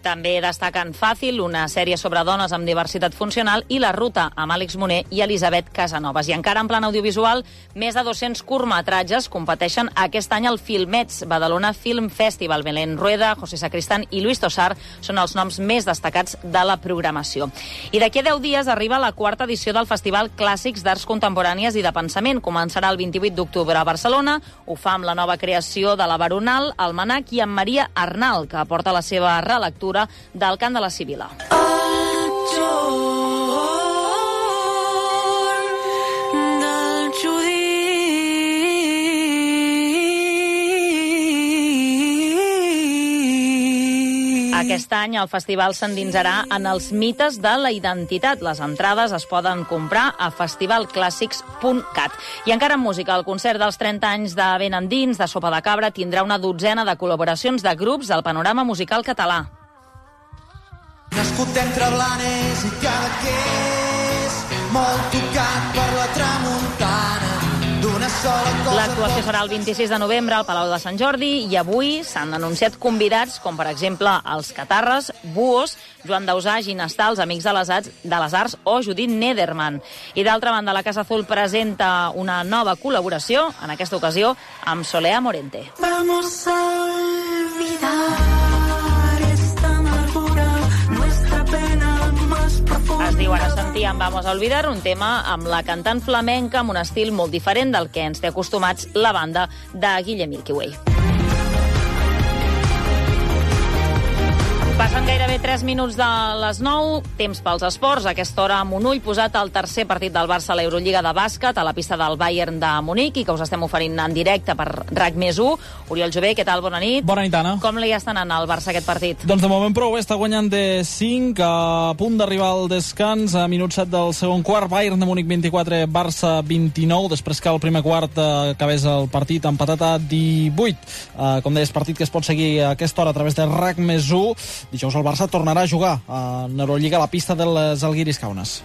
També destaquen Fàcil, una sèrie sobre dones amb diversitat funcional, i La Ruta, amb Àlex Moner i Elisabet Casanovas. I encara en plan audiovisual, més de dos-cents curtmetratges competeixen aquest any al Filmets, Badalona Film Festival. Belén Rueda, José Sacristán i Luis Tosar són els noms més destacats de la programació. I d'aquí a deu dies arriba la quarta edició del Festival Clàssics d'Arts Contemporànies i de Pensament. Començarà el vint-i-vuit d'octubre a Barcelona. Ho fa amb la nova creació de la Baronal, el Manac i amb Maria Arnal, que aporta la seva relectura del Cant de la Sibila. Aquest any el festival s'endinsarà en els mites de la identitat. Les entrades es poden comprar a festival clàssics punt cat. I encara en música, el concert dels trenta anys de Ben Endins, de Sopa de Cabra, tindrà una dotzena de col·laboracions de grups del panorama musical català. Nascut entre Blanes i Cadaqués, molt tocat per la tramuntana d'una sola cosa. L'actuació serà el vint-i-sis de novembre al Palau de Sant Jordi i avui s'han anunciat convidats com, per exemple, els Catarres, Buos, Joan Dausà, Ginestar, els Amics de les Arts, de les Arts o Judit Nederman. I d'altra banda, la Casa Azul presenta una nova col·laboració, en aquesta ocasió amb Solea Morente. Vamos a olvidar. Es diu Ara sentíem Vamos a Olvidar, un tema amb la cantant flamenca amb un estil molt diferent del que ens té acostumats la banda de Guille Milky Way. Passen gairebé tres minuts de les nou, temps pels esports. A aquesta hora a Monull posat el tercer partit del Barça a l'Eurolliga de bàsquet a la pista del Bayern de Munic i que us estem oferint en directe per RAC més u. Oriol Jové, què tal? Bona nit. Bona nit, Anna. Com li està anant al Barça aquest partit? Doncs de moment prou, està guanyant de cinc, a punt d'arribar al descans, a minut set del segon quart. Bayern de Munic vint-i-quatre, Barça vint-i-nou, després que el primer quart eh, acabés el partit empatat a divuit. Eh, com deies, partit que es pot seguir a aquesta hora a través de RAC més u. Dijous el Barça tornarà a jugar a Eurolliga a la pista dels Alguiris Kaunas.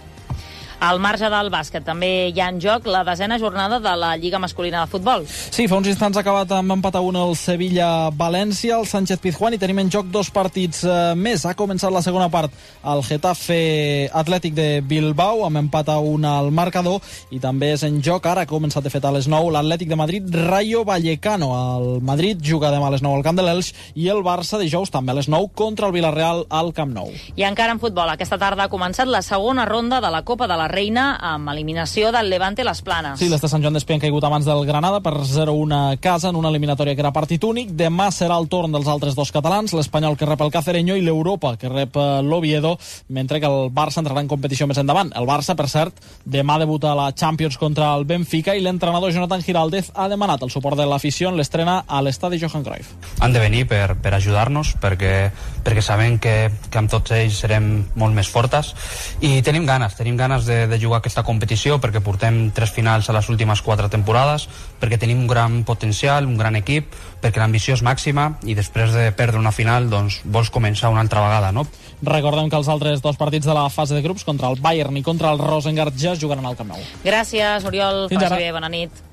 Al marge del bàsquet també hi ha en joc la desena jornada de la Lliga Masculina de Futbol. Sí, fa uns instants ha acabat amb empat a un el Sevilla-València, el Sánchez-Pizjuán, i tenim en joc dos partits eh, més. Ha començat la segona part el Getafe Atlètic de Bilbao, amb empat a un al marcador, i també és en joc, ara ha començat de fet a les nou, l'Atlètic de Madrid Rayo Vallecano. El Madrid juga demà a les nou al camp de l'Elx i el Barça dijous també a les nou contra el Villarreal al Camp Nou. I encara en futbol, aquesta tarda ha començat la segona ronda de la Copa de la Reina amb eliminació del Levante Las Planes. Sí, les de Sant Joan d'Espí han caigut abans del Granada per zero a un a casa en una eliminatòria que era partit únic. Demà serà el torn dels altres dos catalans, l'Espanyol que rep el Cacereño i l'Europa que rep l'Oviedo, mentre que el Barça entrarà en competició més endavant. El Barça, per cert, demà debuta a la Champions contra el Benfica i l'entrenador Jonathan Giraldez ha demanat el suport de l'afició en l'estrena a l'estadi Johan Cruyff. Han de venir per, per ajudar-nos perquè, perquè sabem que, que amb tots ells serem molt més fortes i tenim ganes, tenim ganes de, de jugar aquesta competició perquè portem tres finals a les últimes quatre temporades, perquè tenim un gran potencial, un gran equip, perquè l'ambició és màxima i després de perdre una final doncs vols començar una altra vegada, no? Recordem que els altres dos partits de la fase de grups contra el Bayern i contra el Rosengard ja es jugaran al Camp Nou. Gràcies, Oriol. Fins ara. Faci bé, bona nit.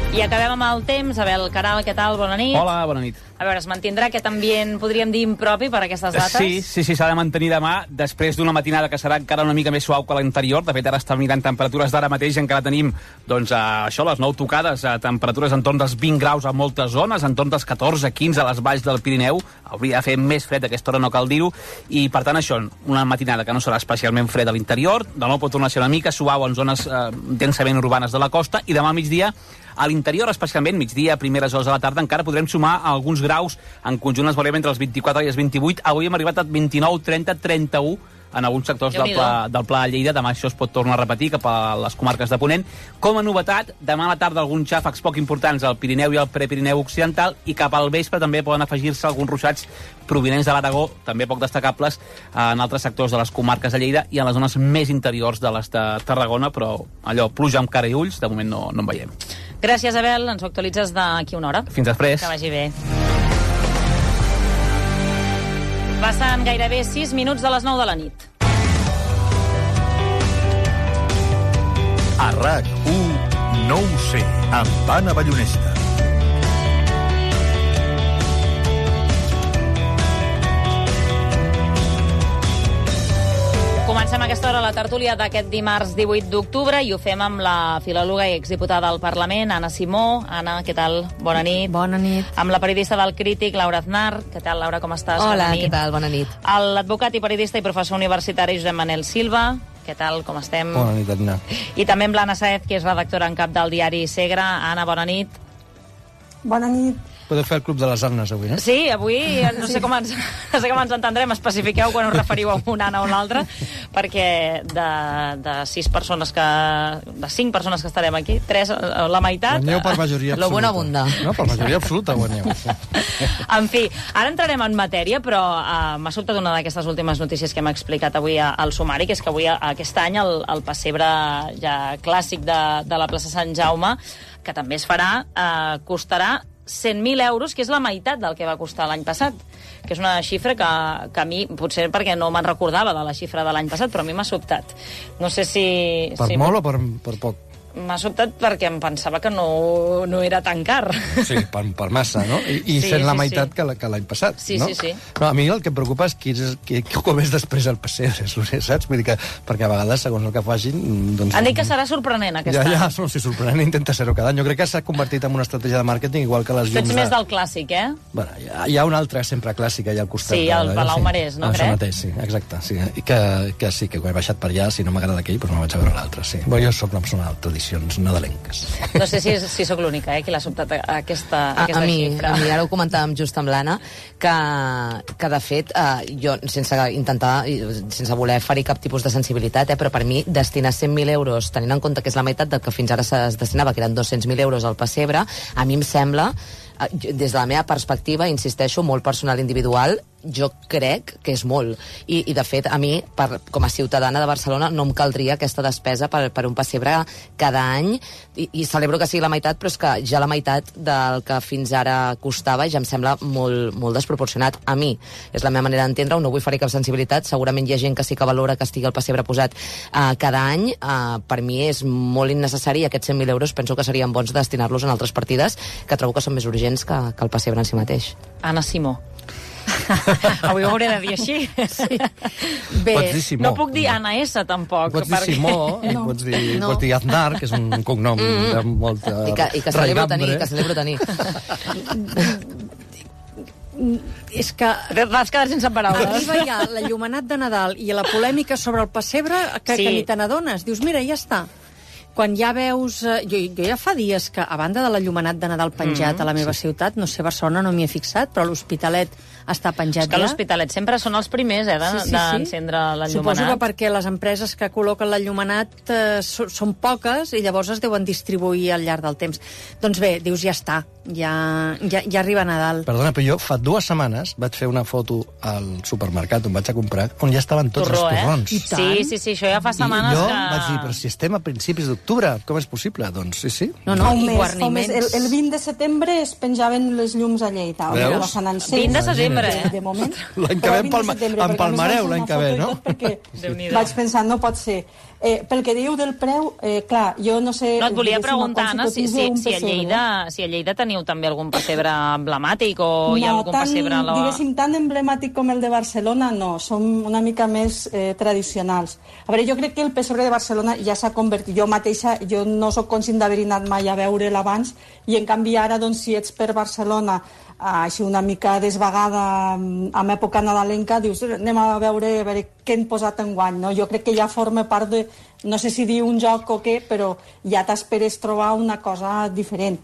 I acabem amb el temps. Abel Caral, què tal? Bona nit. Hola, bona nit. A veure, es mantindrà aquest ambient, podríem dir, impropi per aquestes dates? Sí, sí, sí, s'ha de mantenir demà, després d'una matinada que serà encara una mica més suau que l'anterior. De fet, ara estem mirant temperatures d'ara mateix, encara tenim, doncs, a, això, les nou tocades, a temperatures entorn dels vint graus a moltes zones, entorn dels catorze quinze a les valls del Pirineu. Hauria de fer més fred a aquesta hora, no cal dir-ho, i per tant això, una matinada que no serà especialment fred a l'interior, de nou pot tornar a ser una mica suau en zones eh, densament urbanes de la costa, i demà al migdia a l'interior, especialment migdia, primeres hores de la tarda, encara podrem sumar alguns graus. En conjunt es veurem entre els vint-i-quatre i els vint-i-vuit. Avui hem arribat a vint-i-nou, trenta, trenta-u en alguns sectors del pla, del pla de Lleida. Demà això es pot tornar a repetir cap a les comarques de Ponent. Com a novetat, demà a la tarda alguns xàfecs poc importants al Pirineu i al Prepirineu Occidental, i cap al vespre també poden afegir-se alguns ruixats provinents de l'Aragó, també poc destacables en altres sectors de les comarques de Lleida i en les zones més interiors de les de Tarragona, però allò, pluja amb cara i ulls, de moment no, no en veiem. Gràcies, Abel. Ens ho actualitzes d'aquí una hora. Fins després. Que vagi bé. Passen gairebé sis minuts de les nou de la nit. A RAC u, no ho sé, amb Anna Ballonesta. Comencem a aquesta hora la tertúlia d'aquest dimarts divuit d'octubre i ho fem amb la filòloga i exdiputada del Parlament, Anna Simó. Anna, què tal? Bona nit. Bona nit. Amb la periodista del Crític, Laura Aznar. Què tal, Laura, com estàs? Hola, què tal? Bona nit. L'advocat i periodista i professor universitari Josep Manel Silva. Què tal, com estem? Bona nit, Anna. I també amb l'Anna Saez, que és redactora en cap del diari Segre. Anna, bona nit. Bona nit. Podeu fer el Club de les Annes avui, eh? Sí, avui no sé com ens, no sé com ens entendrem. Especifiqueu quan us referiu a una Anna o una altra, perquè de, de sis persones que... de cinc persones que estarem aquí, tres, la meitat... Guanyeu per majoria absoluta. Lo bueno abunda. No, per majoria absoluta guanyeu. En fi, ara entrarem en matèria, però uh, m'ha sobtat una d'aquestes últimes notícies que hem explicat avui al sumari, que és que avui, aquest any, el, el pessebre ja clàssic de, de la plaça Sant Jaume, que també es farà, uh, costarà cent mil euros, que és la meitat del que va costar l'any passat, que és una xifra que, que a mi, potser perquè no me'n recordava de la xifra de l'any passat, però a mi m'ha sobtat. No sé si... Per si molt o per, per poc? M'ha sobtat perquè em pensava que no, no era tan car. Sí, per, per massa, no? I, i sí, sent la sí, meitat sí. que l'any passat, sí, no? Sí, sí, no? A mi el que em preocupa és qui és, qui, com és després el pessebre, saps? Vull dir que, perquè a vegades, segons el que facin... Doncs, han dit que serà sorprenent aquest ja, any. Ja, no, si sorprenent intenta ser-ho cada any. Jo crec que s'ha convertit en una estratègia de màrqueting igual que les llums... Tu ets de... més del clàssic, eh? Bueno, hi ha, hi ha una altra sempre clàssica allà al costat. Sí, el Palau sí. Marès, no, crec? Això mateix, sí, exacte. Sí. I que, que sí, que quan he baixat per allà, si no m'agrada aquell, doncs me vaig a veure l'altre, sí. Bueno, jo soc una persona de tradicions nadalenques. No sé si, si sóc l'única, eh, qui l'ha sobtat aquesta, a, aquesta a mi, xifra. A mi, ara ho comentàvem just amb l'Anna, que, que de fet, eh, jo, sense intentar, sense voler ferir cap tipus de sensibilitat, eh, però per mi destinar cent mil euros, tenint en compte que és la meitat del que fins ara es destinava, que eren dos-cents mil euros al pessebre, a mi em sembla des de la meva perspectiva, insisteixo, molt personal individual, jo crec que és molt. I, i de fet, a mi, per, com a ciutadana de Barcelona, no em caldria aquesta despesa per, per un pessebre cada any, i, i celebro que sigui la meitat, però és que ja la meitat del que fins ara costava ja em sembla molt, molt desproporcionat. A mi, és la meva manera d'entendre-ho, no vull fer cap sensibilitat, segurament hi ha gent que sí que valora que estigui el pessebre posat uh, cada any, uh, per mi és molt innecessari, i aquests cent mil euros penso que serien bons destinar-los en altres partides que trobo que són més urgents que, que el pessebre en si mateix. Anna Simó. Avui ho hauré de dir així. Sí. Bé, pots dir Simó. No puc dir Anna S, tampoc. Pots dir perquè... Simó, no. pots, dir, no. pots dir Aznar, que és un cognom mm. de molta... I que, i que celebro tenir, que celebro tenir. És que... Vas quedar sense paraules. Arriba ja l'enllumenat de Nadal i la polèmica sobre el pessebre que, sí. que ni te n'adones. Dius, mira, ja està. Quan ja veus... Jo, jo ja fa dies que, a banda de l'enllumenat de Nadal penjat mm, a la meva sí. ciutat, no sé, Barcelona no m'hi he fixat, però l'Hospitalet està penjat és que ja. l'Hospitalet sempre són els primers, eh, d'encendre sí, sí, sí. l'enllumenat. Suposo que perquè les empreses que col·loquen l'enllumenat eh, so, són poques i llavors es deuen distribuir al llarg del temps. Doncs bé, dius, ja està, ja, ja, ja arriba Nadal. Perdona, però jo fa dues setmanes vaig fer una foto al supermercat on vaig a comprar, on ja estaven tots Torró, els torrons. Eh? Sí, sí, sí, això ja fa setmanes I jo que... vaig dir, però si estem a principis d'octubre, com és possible? Doncs sí, sí. No, no, i guarniments. El, el vint de setembre es penjaven les llums a Lleida. Veus? vint de setembre, eh? De moment. L'any que ve empalmareu, l'any que ve, no? Perquè vaig pensar, no pot ser. Eh, pel que diu del preu, eh, clar, jo no sé... No, et volia preguntar, Anna, si, si, si, a Lleida, si a Lleida teniu també algun pessebre emblemàtic o no, hi ha algun tan, pessebre... A la... diguéssim, tan emblemàtic com el de Barcelona, no. Som una mica més eh, tradicionals. A veure, jo crec que el pessebre de Barcelona ja s'ha convertit... Jo mateixa, jo no sóc conscient d'haver anat mai a veure'l abans, i en canvi ara, doncs, si ets per Barcelona així una mica desvagada en època nadalenca, dius, anem a veure, a veure què han posat enguany, no? Jo crec que ja forma part de, no sé si dir un joc o què, però ja t'esperes trobar una cosa diferent.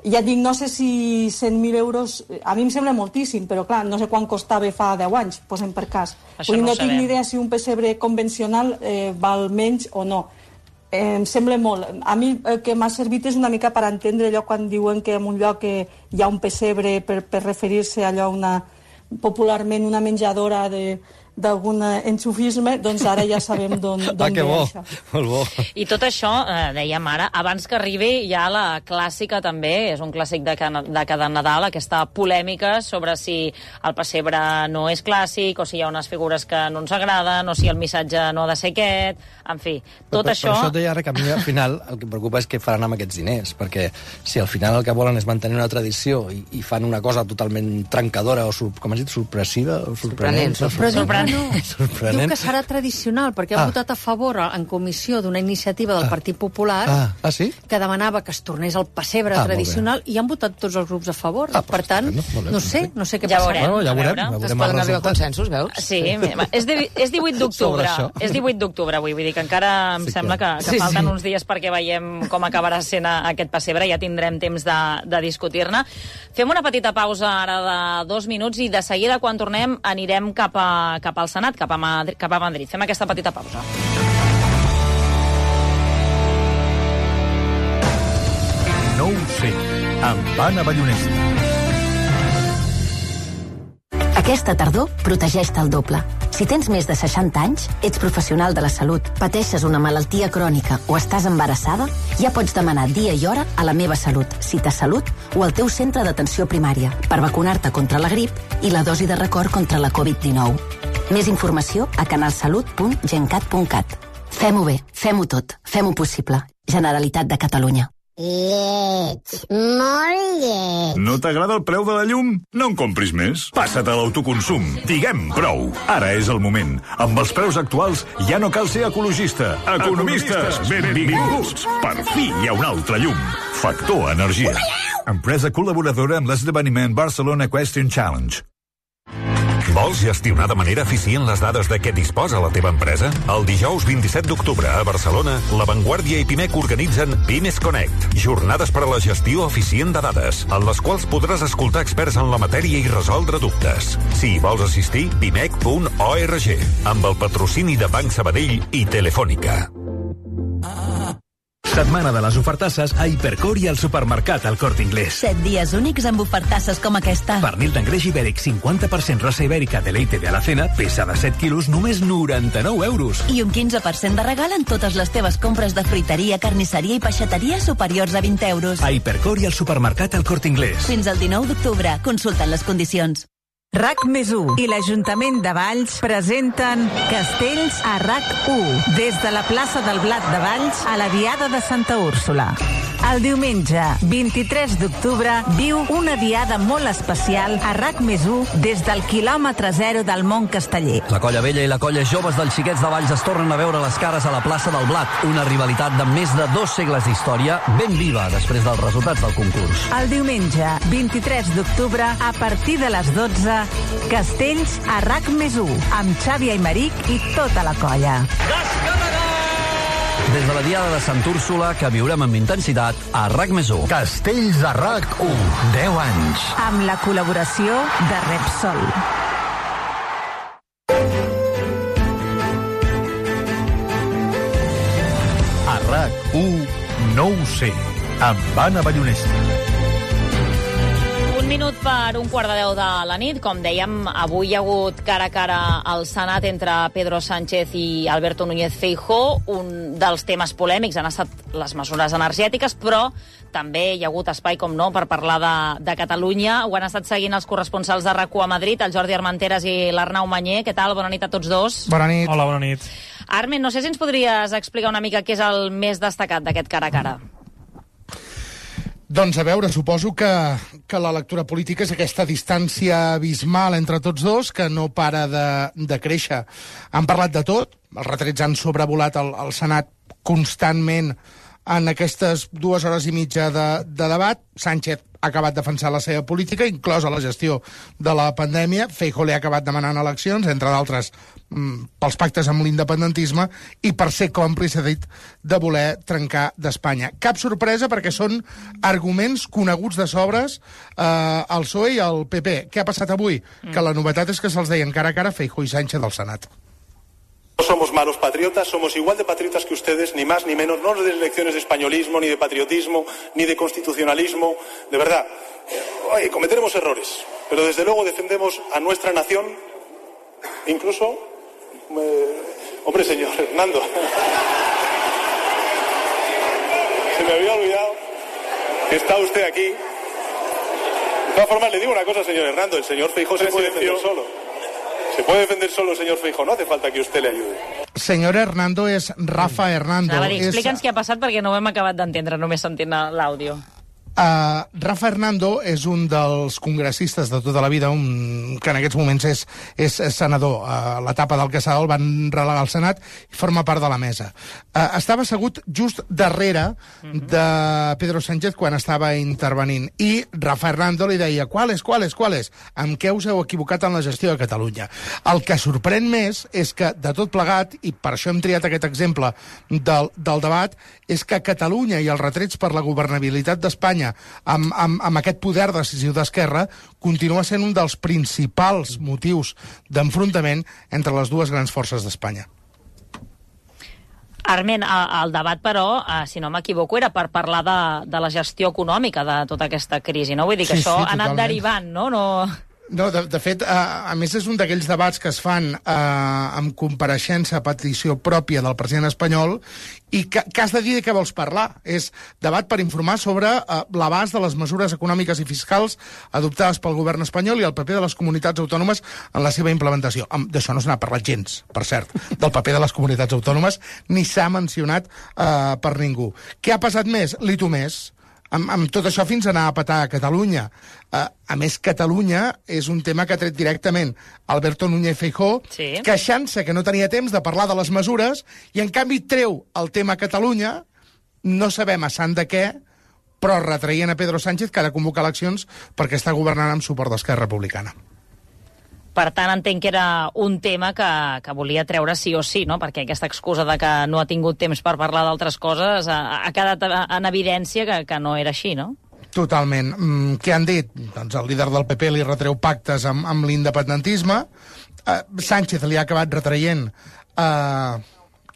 Ja et dic, no sé si cent mil euros, a mi em sembla moltíssim, però clar, no sé quan costava fa deu anys, posem per cas. Això no, no tinc ni idea si un pessebre convencional eh, val menys o no. Eh, em sembla molt. A mi el que m'ha servit és una mica per entendre allò quan diuen que en un lloc eh, hi ha un pessebre per, per referir-se a allò una, popularment una menjadora de, d'algun enxufisme, doncs ara ja sabem d'on ah, ve bo. això. Molt bo. I tot això, eh, dèiem ara, abans que arribi ja la clàssica també, és un clàssic de, de cada Nadal, aquesta polèmica sobre si el pessebre no és clàssic, o si hi ha unes figures que no ens agraden, o si el missatge no ha de ser aquest, en fi, tot per, això... Per això et deia ara que a mi al final el que em preocupa és què faran amb aquests diners, perquè si al final el que volen és mantenir una tradició i, i fan una cosa totalment trencadora o, com has dit, sorpressiva o sorprenent. Sorprenent. No, diu que serà tradicional, perquè ha ah. votat a favor en comissió d'una iniciativa del ah. Partit Popular ah. Ah, sí? que demanava que es tornés al pessebre ah, tradicional i han votat tots els grups a favor. Ah, per tant, no, no, no sé, no sé què ja passarà. Veurem, ja veurem, ja veurem. Es poden arribar a consensos, veus? Sí, és, de, és divuit d'octubre. És divuit d'octubre avui, vull dir que encara em sí sembla que, que sí, falten sí. uns dies perquè veiem com acabarà sent aquest pessebre, ja tindrem temps de, de discutir-ne. Fem una petita pausa ara de dos minuts i de seguida, quan tornem, anirem cap, a, cap al Senat, cap a Madrid, cap a Madrid. Fem aquesta petita pausa. No ho sé, amb Anna Ballonesta. Aquesta tardor, protegeix-te el doble. Si tens més de seixanta anys, ets professional de la salut, pateixes una malaltia crònica o estàs embarassada, ja pots demanar dia i hora a la Meva Salut, Cita Salut o al teu centre d'atenció primària per vacunar-te contra la grip i la dosi de record contra la covid dinou. Més informació a canalsalut punt gencat punt cat. Fem-ho bé, fem-ho tot, fem-ho possible. Generalitat de Catalunya. Lleig, molt lleig. No t'agrada el preu de la llum? No en compris més. Passa't a l'autoconsum. Diguem prou. Ara és el moment. Amb els preus actuals ja no cal ser ecologista. Economistes, benvinguts. Per fi hi ha un altre llum. Factor Energia. Empresa col·laboradora amb l'esdeveniment Barcelona Question Challenge. Vols gestionar de manera eficient les dades de què disposa la teva empresa? El dijous vint-i-set d'octubre a Barcelona, La Vanguardia i Pimec organitzen Pimes Connect, jornades per a la gestió eficient de dades, en les quals podràs escoltar experts en la matèria i resoldre dubtes. Si hi vols assistir, pimec punt org, amb el patrocini de Banc Sabadell i Telefònica. Setmana de les ofertasses a Hipercor i al supermercat El Corte Inglés. Set dies únics amb ofertasses com aquesta. Pernil d'engreix ibèric cinquanta per cent raça ibèrica de Leite de Alacena, peça de set quilos, només noranta-nou euros. I un quinze per cent de regal en totes les teves compres de fruiteria, carnisseria i peixateria superiors a vint euros. A Hipercor i al supermercat El Corte Inglés. Fins al dinou d'octubre. Consulten les condicions. RAC més u i l'Ajuntament de Valls presenten Castells a RAC u, des de la plaça del Blat de Valls a la Diada de Santa Úrsula. El diumenge, vint-i-tres d'octubre, viu una diada molt especial a RAC més u des del quilòmetre zero del Mont Casteller. La colla vella i la colla joves dels xiquets de Valls es tornen a veure les cares a la plaça del Blat, una rivalitat de més de dos segles d'història ben viva després dels resultats del concurs. El diumenge, vint-i-tres d'octubre, a partir de les dotze, Castells a RAC més u, amb Xavi Aymeric i tota la colla. Des de la Diada de Sant Úrsula, que viurem amb intensitat a RAC més u. Castells a RAC u, deu anys. Amb la col·laboració de Repsol. A RAC u, no ho sé, amb Anna Ballonesta. Un minut per un quart de deu de la nit. Com dèiem, avui hi ha hagut cara a cara al Senat entre Pedro Sánchez i Alberto Núñez Feijóo. Un dels temes polèmics han estat les mesures energètiques, però també hi ha hagut espai, com no, per parlar de, de Catalunya. Ho han estat seguint els corresponsals de RAC u a Madrid, el Jordi Armenteres i l'Arnau Manyer. Què tal? Bona nit a tots dos. Bona nit. Hola, bona nit. Armen, no sé si ens podries explicar una mica què és el més destacat d'aquest cara a cara. Doncs a veure, suposo que, que la lectura política és aquesta distància abismal entre tots dos, que no para de, de créixer. Han parlat de tot, els retrets han sobrevolat el, el Senat constantment en aquestes dues hores i mitja de, de debat. Sánchez ha acabat defensant la seva política, inclosa la gestió de la pandèmia. Feijóo li ha acabat demanant eleccions, entre d'altres pels pactes amb l'independentisme i per ser còmplice, ha dit, de voler trencar d'Espanya. Cap sorpresa, perquè són arguments coneguts de sobres eh, al P S O E i al P P. Què ha passat avui? Mm. Que la novetat és que se'ls deien cara a cara Feijóo i Sánchez del Senat. No somos malos patriotas, somos igual de patriotas que ustedes, ni más ni menos. No nos den lecciones de españolismo, ni de patriotismo, ni de constitucionalismo. De verdad, oye, cometeremos errores, pero desde luego defendemos a nuestra nación, incluso... Eh, hombre, señor Hernando. Se me había olvidado que está usted aquí. De todas formas, le digo una cosa, señor Hernando. El señor Feijóo se puede defender solo. Se puede defender solo el señor Feijóo, no hace falta que usted le ayude. Senyor Hernando és Rafa Hernando. A veure, explica'ns és... què ha passat perquè no ho hem acabat d'entendre només sentint l'àudio. Uh, Rafa Hernando és un dels congressistes de tota la vida, un, que en aquests moments és, és, és senador. A uh, l'etapa del Casal el van relegar al Senat i forma part de la mesa. Uh, estava assegut just darrere uh-huh. de Pedro Sánchez quan estava intervenint i Rafa Hernando li deia «Quales, quales, quales? Amb què us heu equivocat en la gestió de Catalunya?» El que sorprèn més és que, de tot plegat, i per això hem triat aquest exemple del, del debat, és que Catalunya i els retrets per la governabilitat d'Espanya Amb, amb, amb aquest poder decisiu d'Esquerra continua sent un dels principals motius d'enfrontament entre les dues grans forces d'Espanya. Armen, el debat, però, si no m'equivoco, era per parlar de, de la gestió econòmica de tota aquesta crisi, no? Vull dir que sí, això sí, ha anat derivant, no? no... No, de, de fet, a, a més és un d'aquells debats que es fan eh, amb compareixença a petició pròpia del president espanyol i que, que has de dir de què vols parlar. És debat per informar sobre eh, l'abast de les mesures econòmiques i fiscals adoptades pel govern espanyol i el paper de les comunitats autònomes en la seva implementació. D'això no se n'ha parlat gens, per cert, del paper de les comunitats autònomes, ni s'ha mencionat eh, per ningú. Què ha passat més? L'I T U més. Amb, amb tot això fins a anar a petar a Catalunya. Uh, a més, Catalunya és un tema que ha tret directament Alberto Núñez Feijóo, sí. queixant-se que no tenia temps de parlar de les mesures, i en canvi treu el tema Catalunya, no sabem a sant de què, però retraient a Pedro Sánchez que ha de convocar eleccions perquè està governant amb suport d'Esquerra Republicana. Per tant, entenc que era un tema que, que volia treure sí o sí, no? Perquè aquesta excusa de que no ha tingut temps per parlar d'altres coses ha, ha quedat en evidència que, que no era així, no? Totalment. Mm, què han dit? Doncs el líder del P P li retreu pactes amb, amb l'independentisme. Uh, Sánchez li ha acabat retraient uh,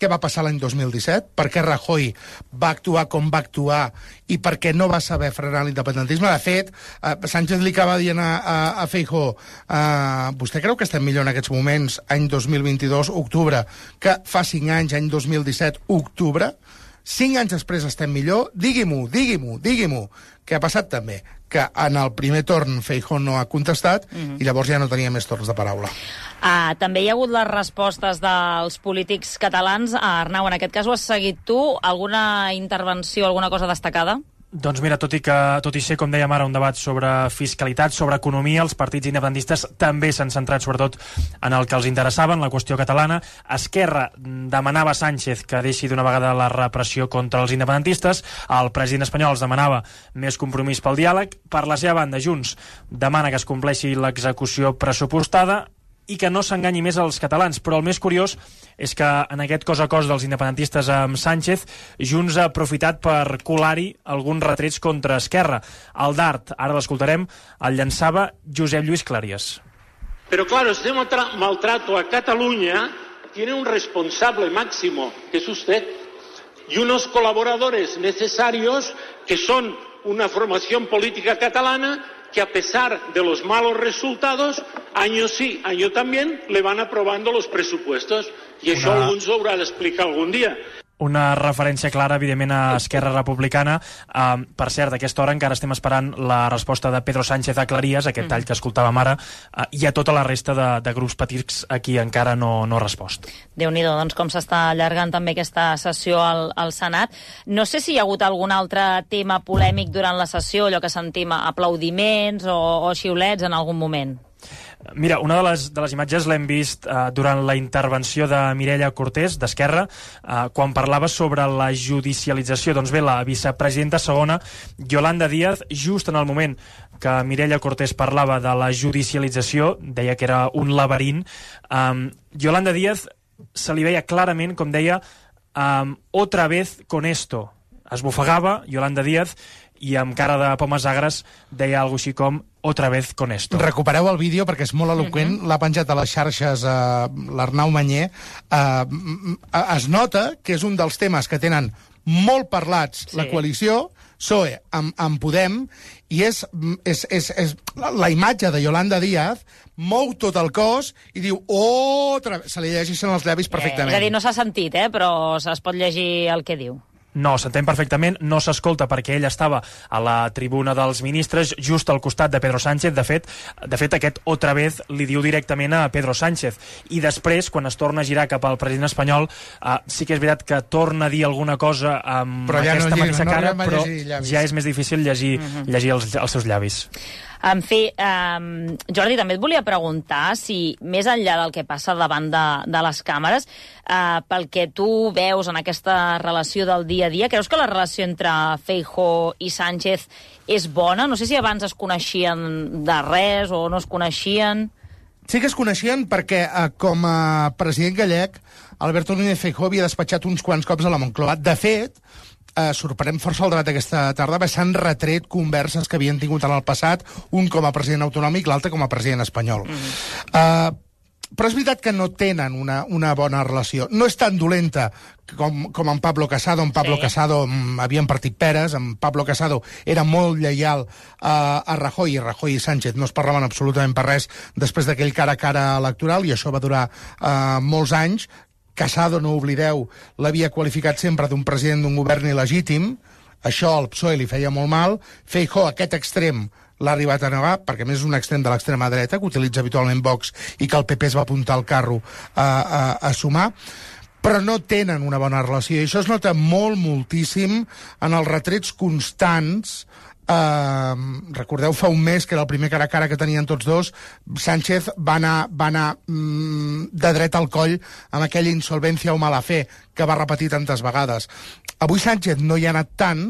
què va passar l'any dos mil disset, per què Rajoy va actuar com va actuar i per què no va saber frenar l'independentisme. De fet, eh, Sánchez li acaba dient a, a, a Feijóo, eh, vostè creu que estem millor en aquests moments, any dos mil vint-i-dos, octubre, que fa cinc anys, any dos mil disset, octubre? Cinc anys després estem millor? Digui-m'ho, digui-m'ho, digui-m'ho. Què ha passat també? Que en el primer torn Feijóo no ha contestat mm-hmm. i llavors ja no tenia més torns de paraula. Ah, també hi ha hagut les respostes dels polítics catalans. Ah, Arnau, en aquest cas ho has seguit tu. Alguna intervenció, alguna cosa destacada? Doncs mira, tot i, que, tot i ser, com dèiem ara, un debat sobre fiscalitat, sobre economia, els partits independentistes també s'han centrat sobretot en el que els interessava, en la qüestió catalana. Esquerra demanava a Sánchez que deixi d'una vegada la repressió contra els independentistes, el president espanyol els demanava més compromís pel diàleg. Per la seva banda, Junts demana que es compleixi l'execució pressupostada i que no s'enganyi més als catalans. Però el més curiós és que en aquest cos a cos dels independentistes amb Sánchez, Junts ha aprofitat per colar-hi alguns retrets contra Esquerra. El dart, ara l'escoltarem, el llançava Josep Lluís Cleries. Pero claro, este maltrato a Cataluña tiene un responsable máximo, que es usted, y unos colaboradores necesarios que son una formación política catalana que a pesar de los malos resultados, año sí, año también, le van aprobando los presupuestos. I això Una... algú ens ho haurà d'explicar algun dia. Una referència clara, evidentment, a Esquerra Republicana. Uh, per cert, a aquesta hora encara estem esperant la resposta de Pedro Sánchez a Clarías, aquest tall que escoltàvem ara, uh, i a tota la resta de, de grups petits a qui encara no, no ha respost. Déu-n'hi-do, doncs com s'està allargant també aquesta sessió al, al Senat. No sé si hi ha hagut algun altre tema polèmic durant la sessió, allò que sentim aplaudiments o, o xiulets en algun moment. Mira, una de les, de les imatges l'hem vist uh, durant la intervenció de Mireia Cortés, d'Esquerra, uh, quan parlava sobre la judicialització. Doncs bé, la vicepresidenta segona, Yolanda Díaz, just en el moment que Mireia Cortés parlava de la judicialització, deia que era un laberint, um, Yolanda Díaz se li veia clarament, com deia, um, otra vez con esto. Esbufegava Yolanda Díaz i amb cara de pomes agres deia alguna així com otra vez con esto. Recupereu el vídeo perquè és molt eloqüent, uh-huh. l'ha penjat a les xarxes uh, l'Arnau Manyer. Uh, es nota que és un dels temes que tenen molt parlats sí. la coalició, P S O E amb, amb Podem, i és, és, és, és la, la imatge de Yolanda Díaz mou tot el cos i diu otra vez, se li llegeixen els llavis perfectament. Eh, és a dir, no s'ha sentit, eh, però es pot llegir el que diu. No, s'entén perfectament, no s'escolta perquè ell estava a la tribuna dels ministres just al costat de Pedro Sánchez. De fet, de fet aquest otra vez li diu directament a Pedro Sánchez. I després, quan es torna a girar cap al president espanyol, uh, sí que és veritat que torna a dir alguna cosa amb però ja aquesta no mateixa no cara, però ja és més difícil llegir, uh-huh. llegir els, els seus llavis. En fi, um, Jordi, també et volia preguntar si, més enllà del que passa davant de, de les càmeres, uh, pel que tu veus en aquesta relació del dia a dia, creus que la relació entre Feijóo i Sánchez és bona? No sé si abans es coneixien de res o no es coneixien. Sí que es coneixien perquè, uh, com a president gallec, Alberto Núñez Feijóo havia despatxat uns quants cops a la Moncloa. De fet, Uh, sorprèn força el debat aquesta tarda, perquè s'han retret converses que havien tingut en el passat, un com a president autonòmic, l'altre com a president espanyol. Mm-hmm. Uh, però és veritat que no tenen una, una bona relació. No és tan dolenta com, com en Pablo Casado. En Pablo sí. Casado um, havien partit peres, en Pablo Casado era molt lleial uh, a Rajoy, i Rajoy i Sánchez no es parlaven absolutament per res després d'aquell cara a cara electoral, i això va durar uh, molts anys. Casado, no oblideu, l'havia qualificat sempre d'un president d'un govern il·legítim. Això al P S O E li feia molt mal. Feijóo, aquest extrem, l'ha arribat a negar, perquè a més és un extrem de l'extrema dreta, que utilitza habitualment Vox i que el P P es va apuntar al carro a, a, a sumar. Però no tenen una bona relació. I això es nota molt, moltíssim en els retrets constants. Uh, recordeu fa un mes que era el primer cara a cara que tenien tots dos, Sánchez va anar, va anar mm, de dret al coll amb aquella insolvència o mala fe que va repetir tantes vegades. Avui Sánchez no hi ha anat tant,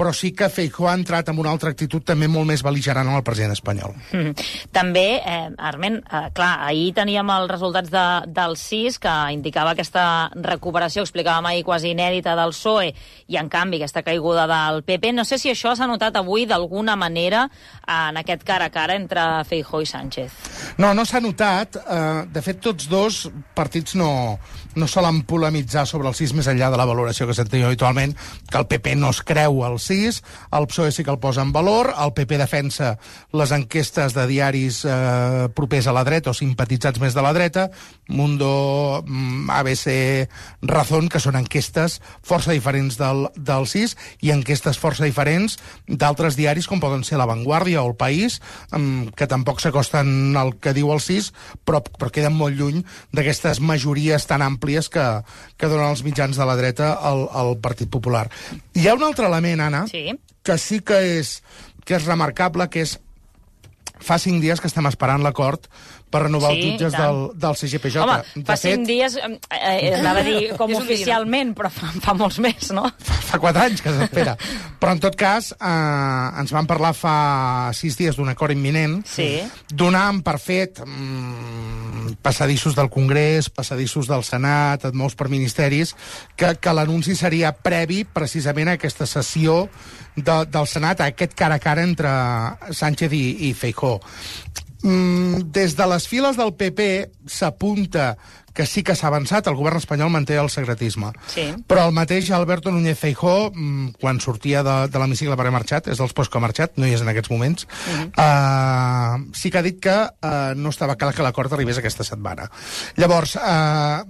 però sí que Feijóo ha entrat amb una altra actitud també molt més bel·ligerant amb el president espanyol. Mm. També, eh, Arment, eh, clar, ahir teníem els resultats de, del C I S, que indicava aquesta recuperació, explicàvem ahir, quasi inèdita del P S O E, i en canvi aquesta caiguda del P P. No sé si això s'ha notat avui d'alguna manera en aquest cara a cara entre Feijóo i Sánchez. No, no s'ha notat. Uh, de fet, tots dos partits no, no solen polemitzar sobre el C I S més enllà de la valoració que s'entén habitualment, que el P P no es creu el C I S, el P S O E sí que el posa en valor, el P P defensa les enquestes de diaris eh, propers a la dreta o simpatitzats més de la dreta, Mundo, A B C, Razón, que són enquestes força diferents del, del C I S i enquestes força diferents d'altres diaris com poden ser La Vanguardia o El País, que tampoc s'acosten al que diu el C I S, però, però queden molt lluny d'aquestes majories tan àmplies que, que donen els mitjans de la dreta al, al Partit Popular. Hi ha un altre element, Anna, sí. que sí que és, que és remarcable, que és fa cinc dies que estem esperant l'acord per renovar sí, els jutges del, del C G P J. Home, fa fet, cinc dies, eh, eh, anava a dir com oficialment, però fa, fa molts més, no? Fa, fa quatre anys que s'espera. Però, en tot cas, eh, ens van parlar fa sis dies d'un acord imminent, sí. donant per fet mm, passadissos del Congrés, passadissos del Senat, molts per ministeris, que, que l'anunci seria previ precisament a aquesta sessió de, del Senat, a aquest cara a cara entre Sánchez i, i Feijóo. Mm, des de les files del P P s'apunta que sí que s'ha avançat, el govern espanyol manté el secretisme. Sí. Però el mateix Alberto Núñez Feijóo, quan sortia de, de l'hemicicle per haver marxat, és dels pocs que ha marxat, no hi és en aquests moments, uh-huh. uh, sí que ha dit que uh, no estava clar que l'acord arribés aquesta setmana. Llavors, uh,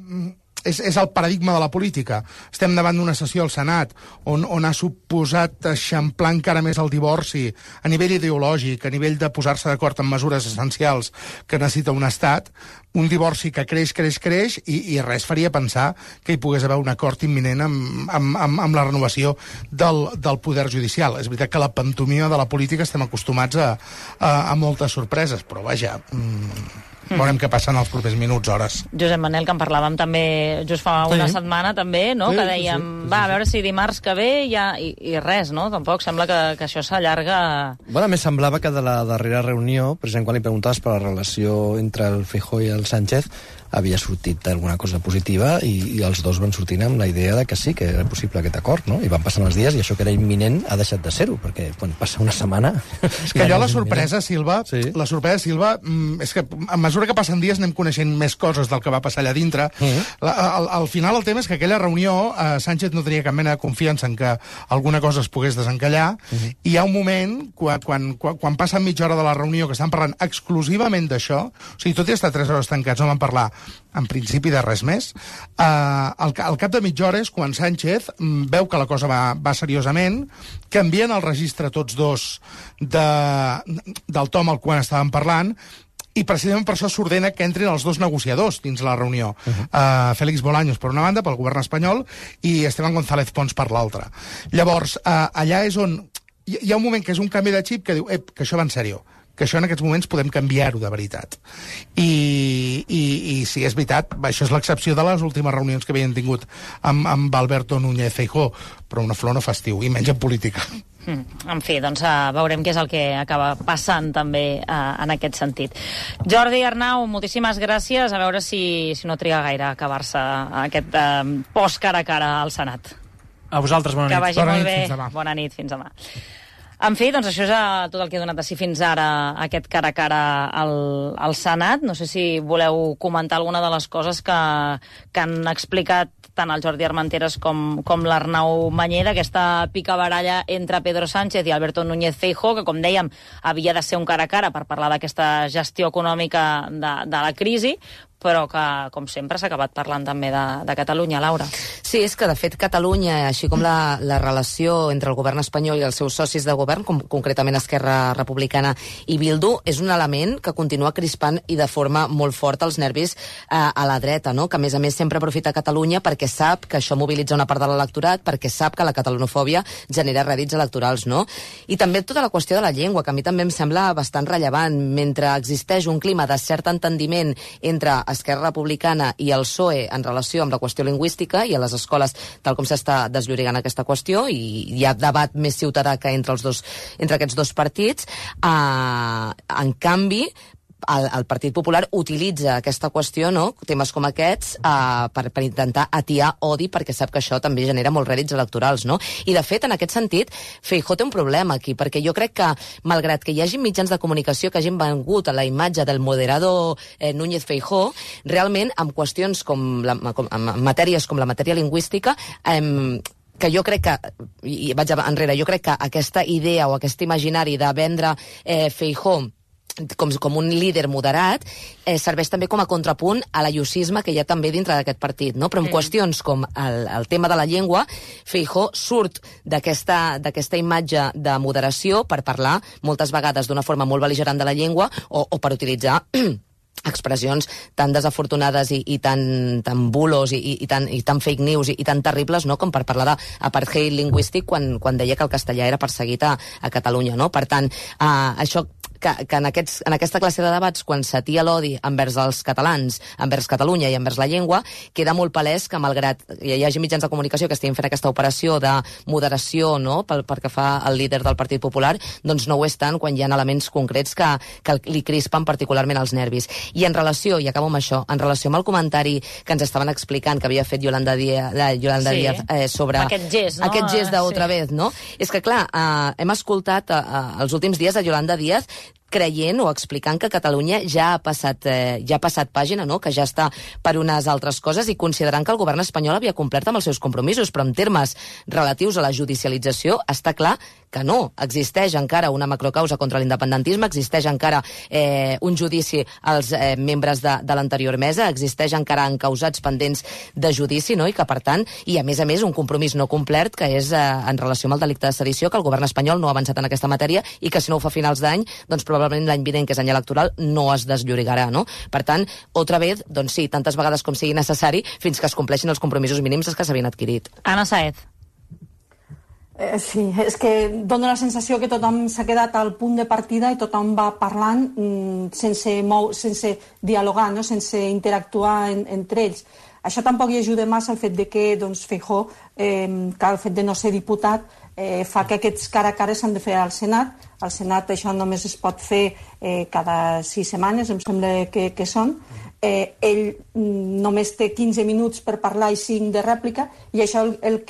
és, és el paradigma de la política. Estem davant d'una sessió al Senat on, on ha suposat eixamplar encara més el divorci a nivell ideològic, a nivell de posar-se d'acord en mesures essencials que necessita un estat, un divorci que creix, creix, creix, i, i res faria pensar que hi pogués haver un acord imminent amb, amb, amb, amb la renovació del, del poder judicial. És veritat que la pantomima de la política estem acostumats a, a, a moltes sorpreses, però vaja... Mm... Veurem què passa en els propers minuts, hores. Josep Manel, que en parlàvem també just fa una sí. setmana, també, no? Sí, que dèiem, sí, sí, sí, va, a veure si dimarts que ve ja... I, i res, no? Tampoc sembla que, que això s'allarga... Bueno, a més semblava que de la darrera reunió, precisament quan li preguntaves per la relació entre el Feijóo i el Sánchez, havia sortit alguna cosa positiva i, i els dos van sortir amb la idea de que sí, que era possible aquest acord, no? I van passant els dies i això que era imminent ha deixat de ser-ho, perquè quan passa una setmana... És que allò, la sorpresa, Silva, sí. la sorpresa, Silva, és que a mesura que passen dies anem coneixent més coses del que va passar allà dintre. Uh-huh. la, al, al final el tema és que aquella reunió eh, Sánchez no tenia cap mena de confiança en que alguna cosa es pogués desencallar, uh-huh. i hi ha un moment, quan, quan, quan, quan passen mitja hora de la reunió que estan parlant exclusivament d'això, o sigui, tot i estar tres hores tancats, no van parlar en principi de res més, eh, al, al cap de mitja hora és quan Sánchez mm, veu que la cosa va, va seriosament, canvien el registre tots dos de, del tom al qual estaven parlant, i precisament per això s'ordena que entrin els dos negociadors dins la reunió. Uh-huh. uh, Félix Bolaños, per una banda, pel govern espanyol, i Esteban González Pons per l'altra. Llavors, uh, allà és on... Hi, hi ha un moment que és un canvi de xip que diu, ep, que això va en sèrio, que això en aquests moments podem canviar-ho de veritat. I, i, i sí, és veritat, això és l'excepció de les últimes reunions que havien tingut amb, amb Alberto Núñez Feijóo, però una flor no fa estiu, i menys en política. Mm, en fi, doncs uh, veurem què és el que acaba passant també uh, en aquest sentit. Jordi Arnau, moltíssimes gràcies. A veure si, si no triga gaire a acabar-se aquest uh, post cara a cara al Senat. A vosaltres, bona nit. Que vagi bona molt nit, bé. fins demà. Bona nit, fins demà. En fi, doncs això és tot el que ha donat de si fins ara aquest cara a cara al, al Senat. No sé si voleu comentar alguna de les coses que, que han explicat tant el Jordi Armenteres com, com l'Arnau Mañé, d'aquesta picabaralla entre Pedro Sánchez i Alberto Núñez Feijóo, que, com dèiem, havia de ser un cara a cara per parlar d'aquesta gestió econòmica de, de la crisi, però que, com sempre, s'ha acabat parlant també de, de Catalunya, Laura. Sí, és que, de fet, Catalunya, així com la, la relació entre el govern espanyol i els seus socis de govern, com concretament Esquerra Republicana i Bildu, és un element que continua crispant i de forma molt forta els nervis eh, a la dreta, no? Que, a més a més, sempre aprofita Catalunya perquè sap que això mobilitza una part de l'electorat, perquè sap que la catalanofòbia genera rèdits electorals, no? I també tota la qüestió de la llengua, que a mi també em sembla bastant rellevant. Mentre existeix un clima de cert entendiment entre Esquerra Republicana i el P S O E en relació amb la qüestió lingüística i a les escoles, tal com s'està desllorigant aquesta qüestió, i hi ha debat més ciutadà que entre, els dos, entre aquests dos partits. Uh, en canvi, El, el Partit Popular utilitza aquesta qüestió, no? Temes com aquests, uh, per, per intentar atiar odi, perquè sap que això també genera molts rèdits electorals, no? I, de fet, en aquest sentit, Feijóo té un problema aquí, perquè jo crec que, malgrat que hi hagi mitjans de comunicació que hagin vengut a la imatge del moderado eh, Núñez Feijóo, realment, amb qüestions com, la, com amb matèries com la matèria lingüística, eh, que jo crec que, i vaig enrere, jo crec que aquesta idea o aquest imaginari de vendre eh, Feijóo Com, com un líder moderat, eh, serveix també com a contrapunt a l'ayusisme que hi ha també dintre d'aquest partit, no? Però en mm. qüestions com el, el tema de la llengua, Feijóo surt d'aquesta d'aquesta imatge de moderació per parlar moltes vegades d'una forma molt bel·ligerant de la llengua o, o per utilitzar expressions tan desafortunades i, i tan, tan bulos i, i, i, tan, i tan fake news i, i tan terribles, no?, com per parlar d'apartheid lingüístic quan, quan deia que el castellà era perseguit a, a Catalunya, no? Per tant, uh, això que, que en, aquests, en aquesta classe de debats, quan s'atia l'odi envers els catalans, envers Catalunya i envers la llengua, queda molt palès que, malgrat hi hagi mitjans de comunicació que estiguin fent aquesta operació de moderació, no?, pel, pel que fa al líder del Partit Popular, doncs no ho és tant quan hi ha elements concrets que, que li crispen particularment els nervis. I en relació, i acabo amb això, en relació amb el comentari que ens estaven explicant que havia fet Yolanda Díaz, la Yolanda sí. Díaz eh, sobre aquest gest, no? aquest gest d'otra sí. vez, no? És que, clar, eh, hem escoltat eh, els últims dies a Yolanda Díaz creient o explicant que Catalunya ja ha passat, eh, ja ha passat pàgina, no?, que ja està per unes altres coses, i considerant que el govern espanyol havia complert amb els seus compromisos, però en termes relatius a la judicialització està clar que no. Existeix encara una macrocausa contra l'independentisme, existeix encara eh, un judici als eh, membres de, de l'anterior mesa, existeix encara encausats pendents de judici, no?, i que, per tant, i a més a més un compromís no complert, que és eh, en relació amb el delicte de sedició, que el govern espanyol no ha avançat en aquesta matèria i que si no ho fa a finals d'any, doncs probablement l'any vinent, que és any electoral, no es desllorigarà, no? Per tant, otra vez, doncs sí, tantes vegades com sigui necessari, fins que es compleixin els compromisos mínims que s'havien adquirit. Anna Sáez. Eh, sí, és que dona la sensació que tothom s'ha quedat al punt de partida i tothom va parlant mm, sense, mou, sense dialogar, no? Sense interactuar en, entre ells. Això tampoc hi ajuda massa el fet de que doncs, Feijóo, eh, que el fet de no ser diputat, eh, fa que aquests cara a cara s'han de fer al Senat. Al Senat això només es pot fer eh, cada sis setmanes, em sembla que, que són. Eh, ell mm, només té quinze minuts per parlar i cinc de rèplica, i això el, el que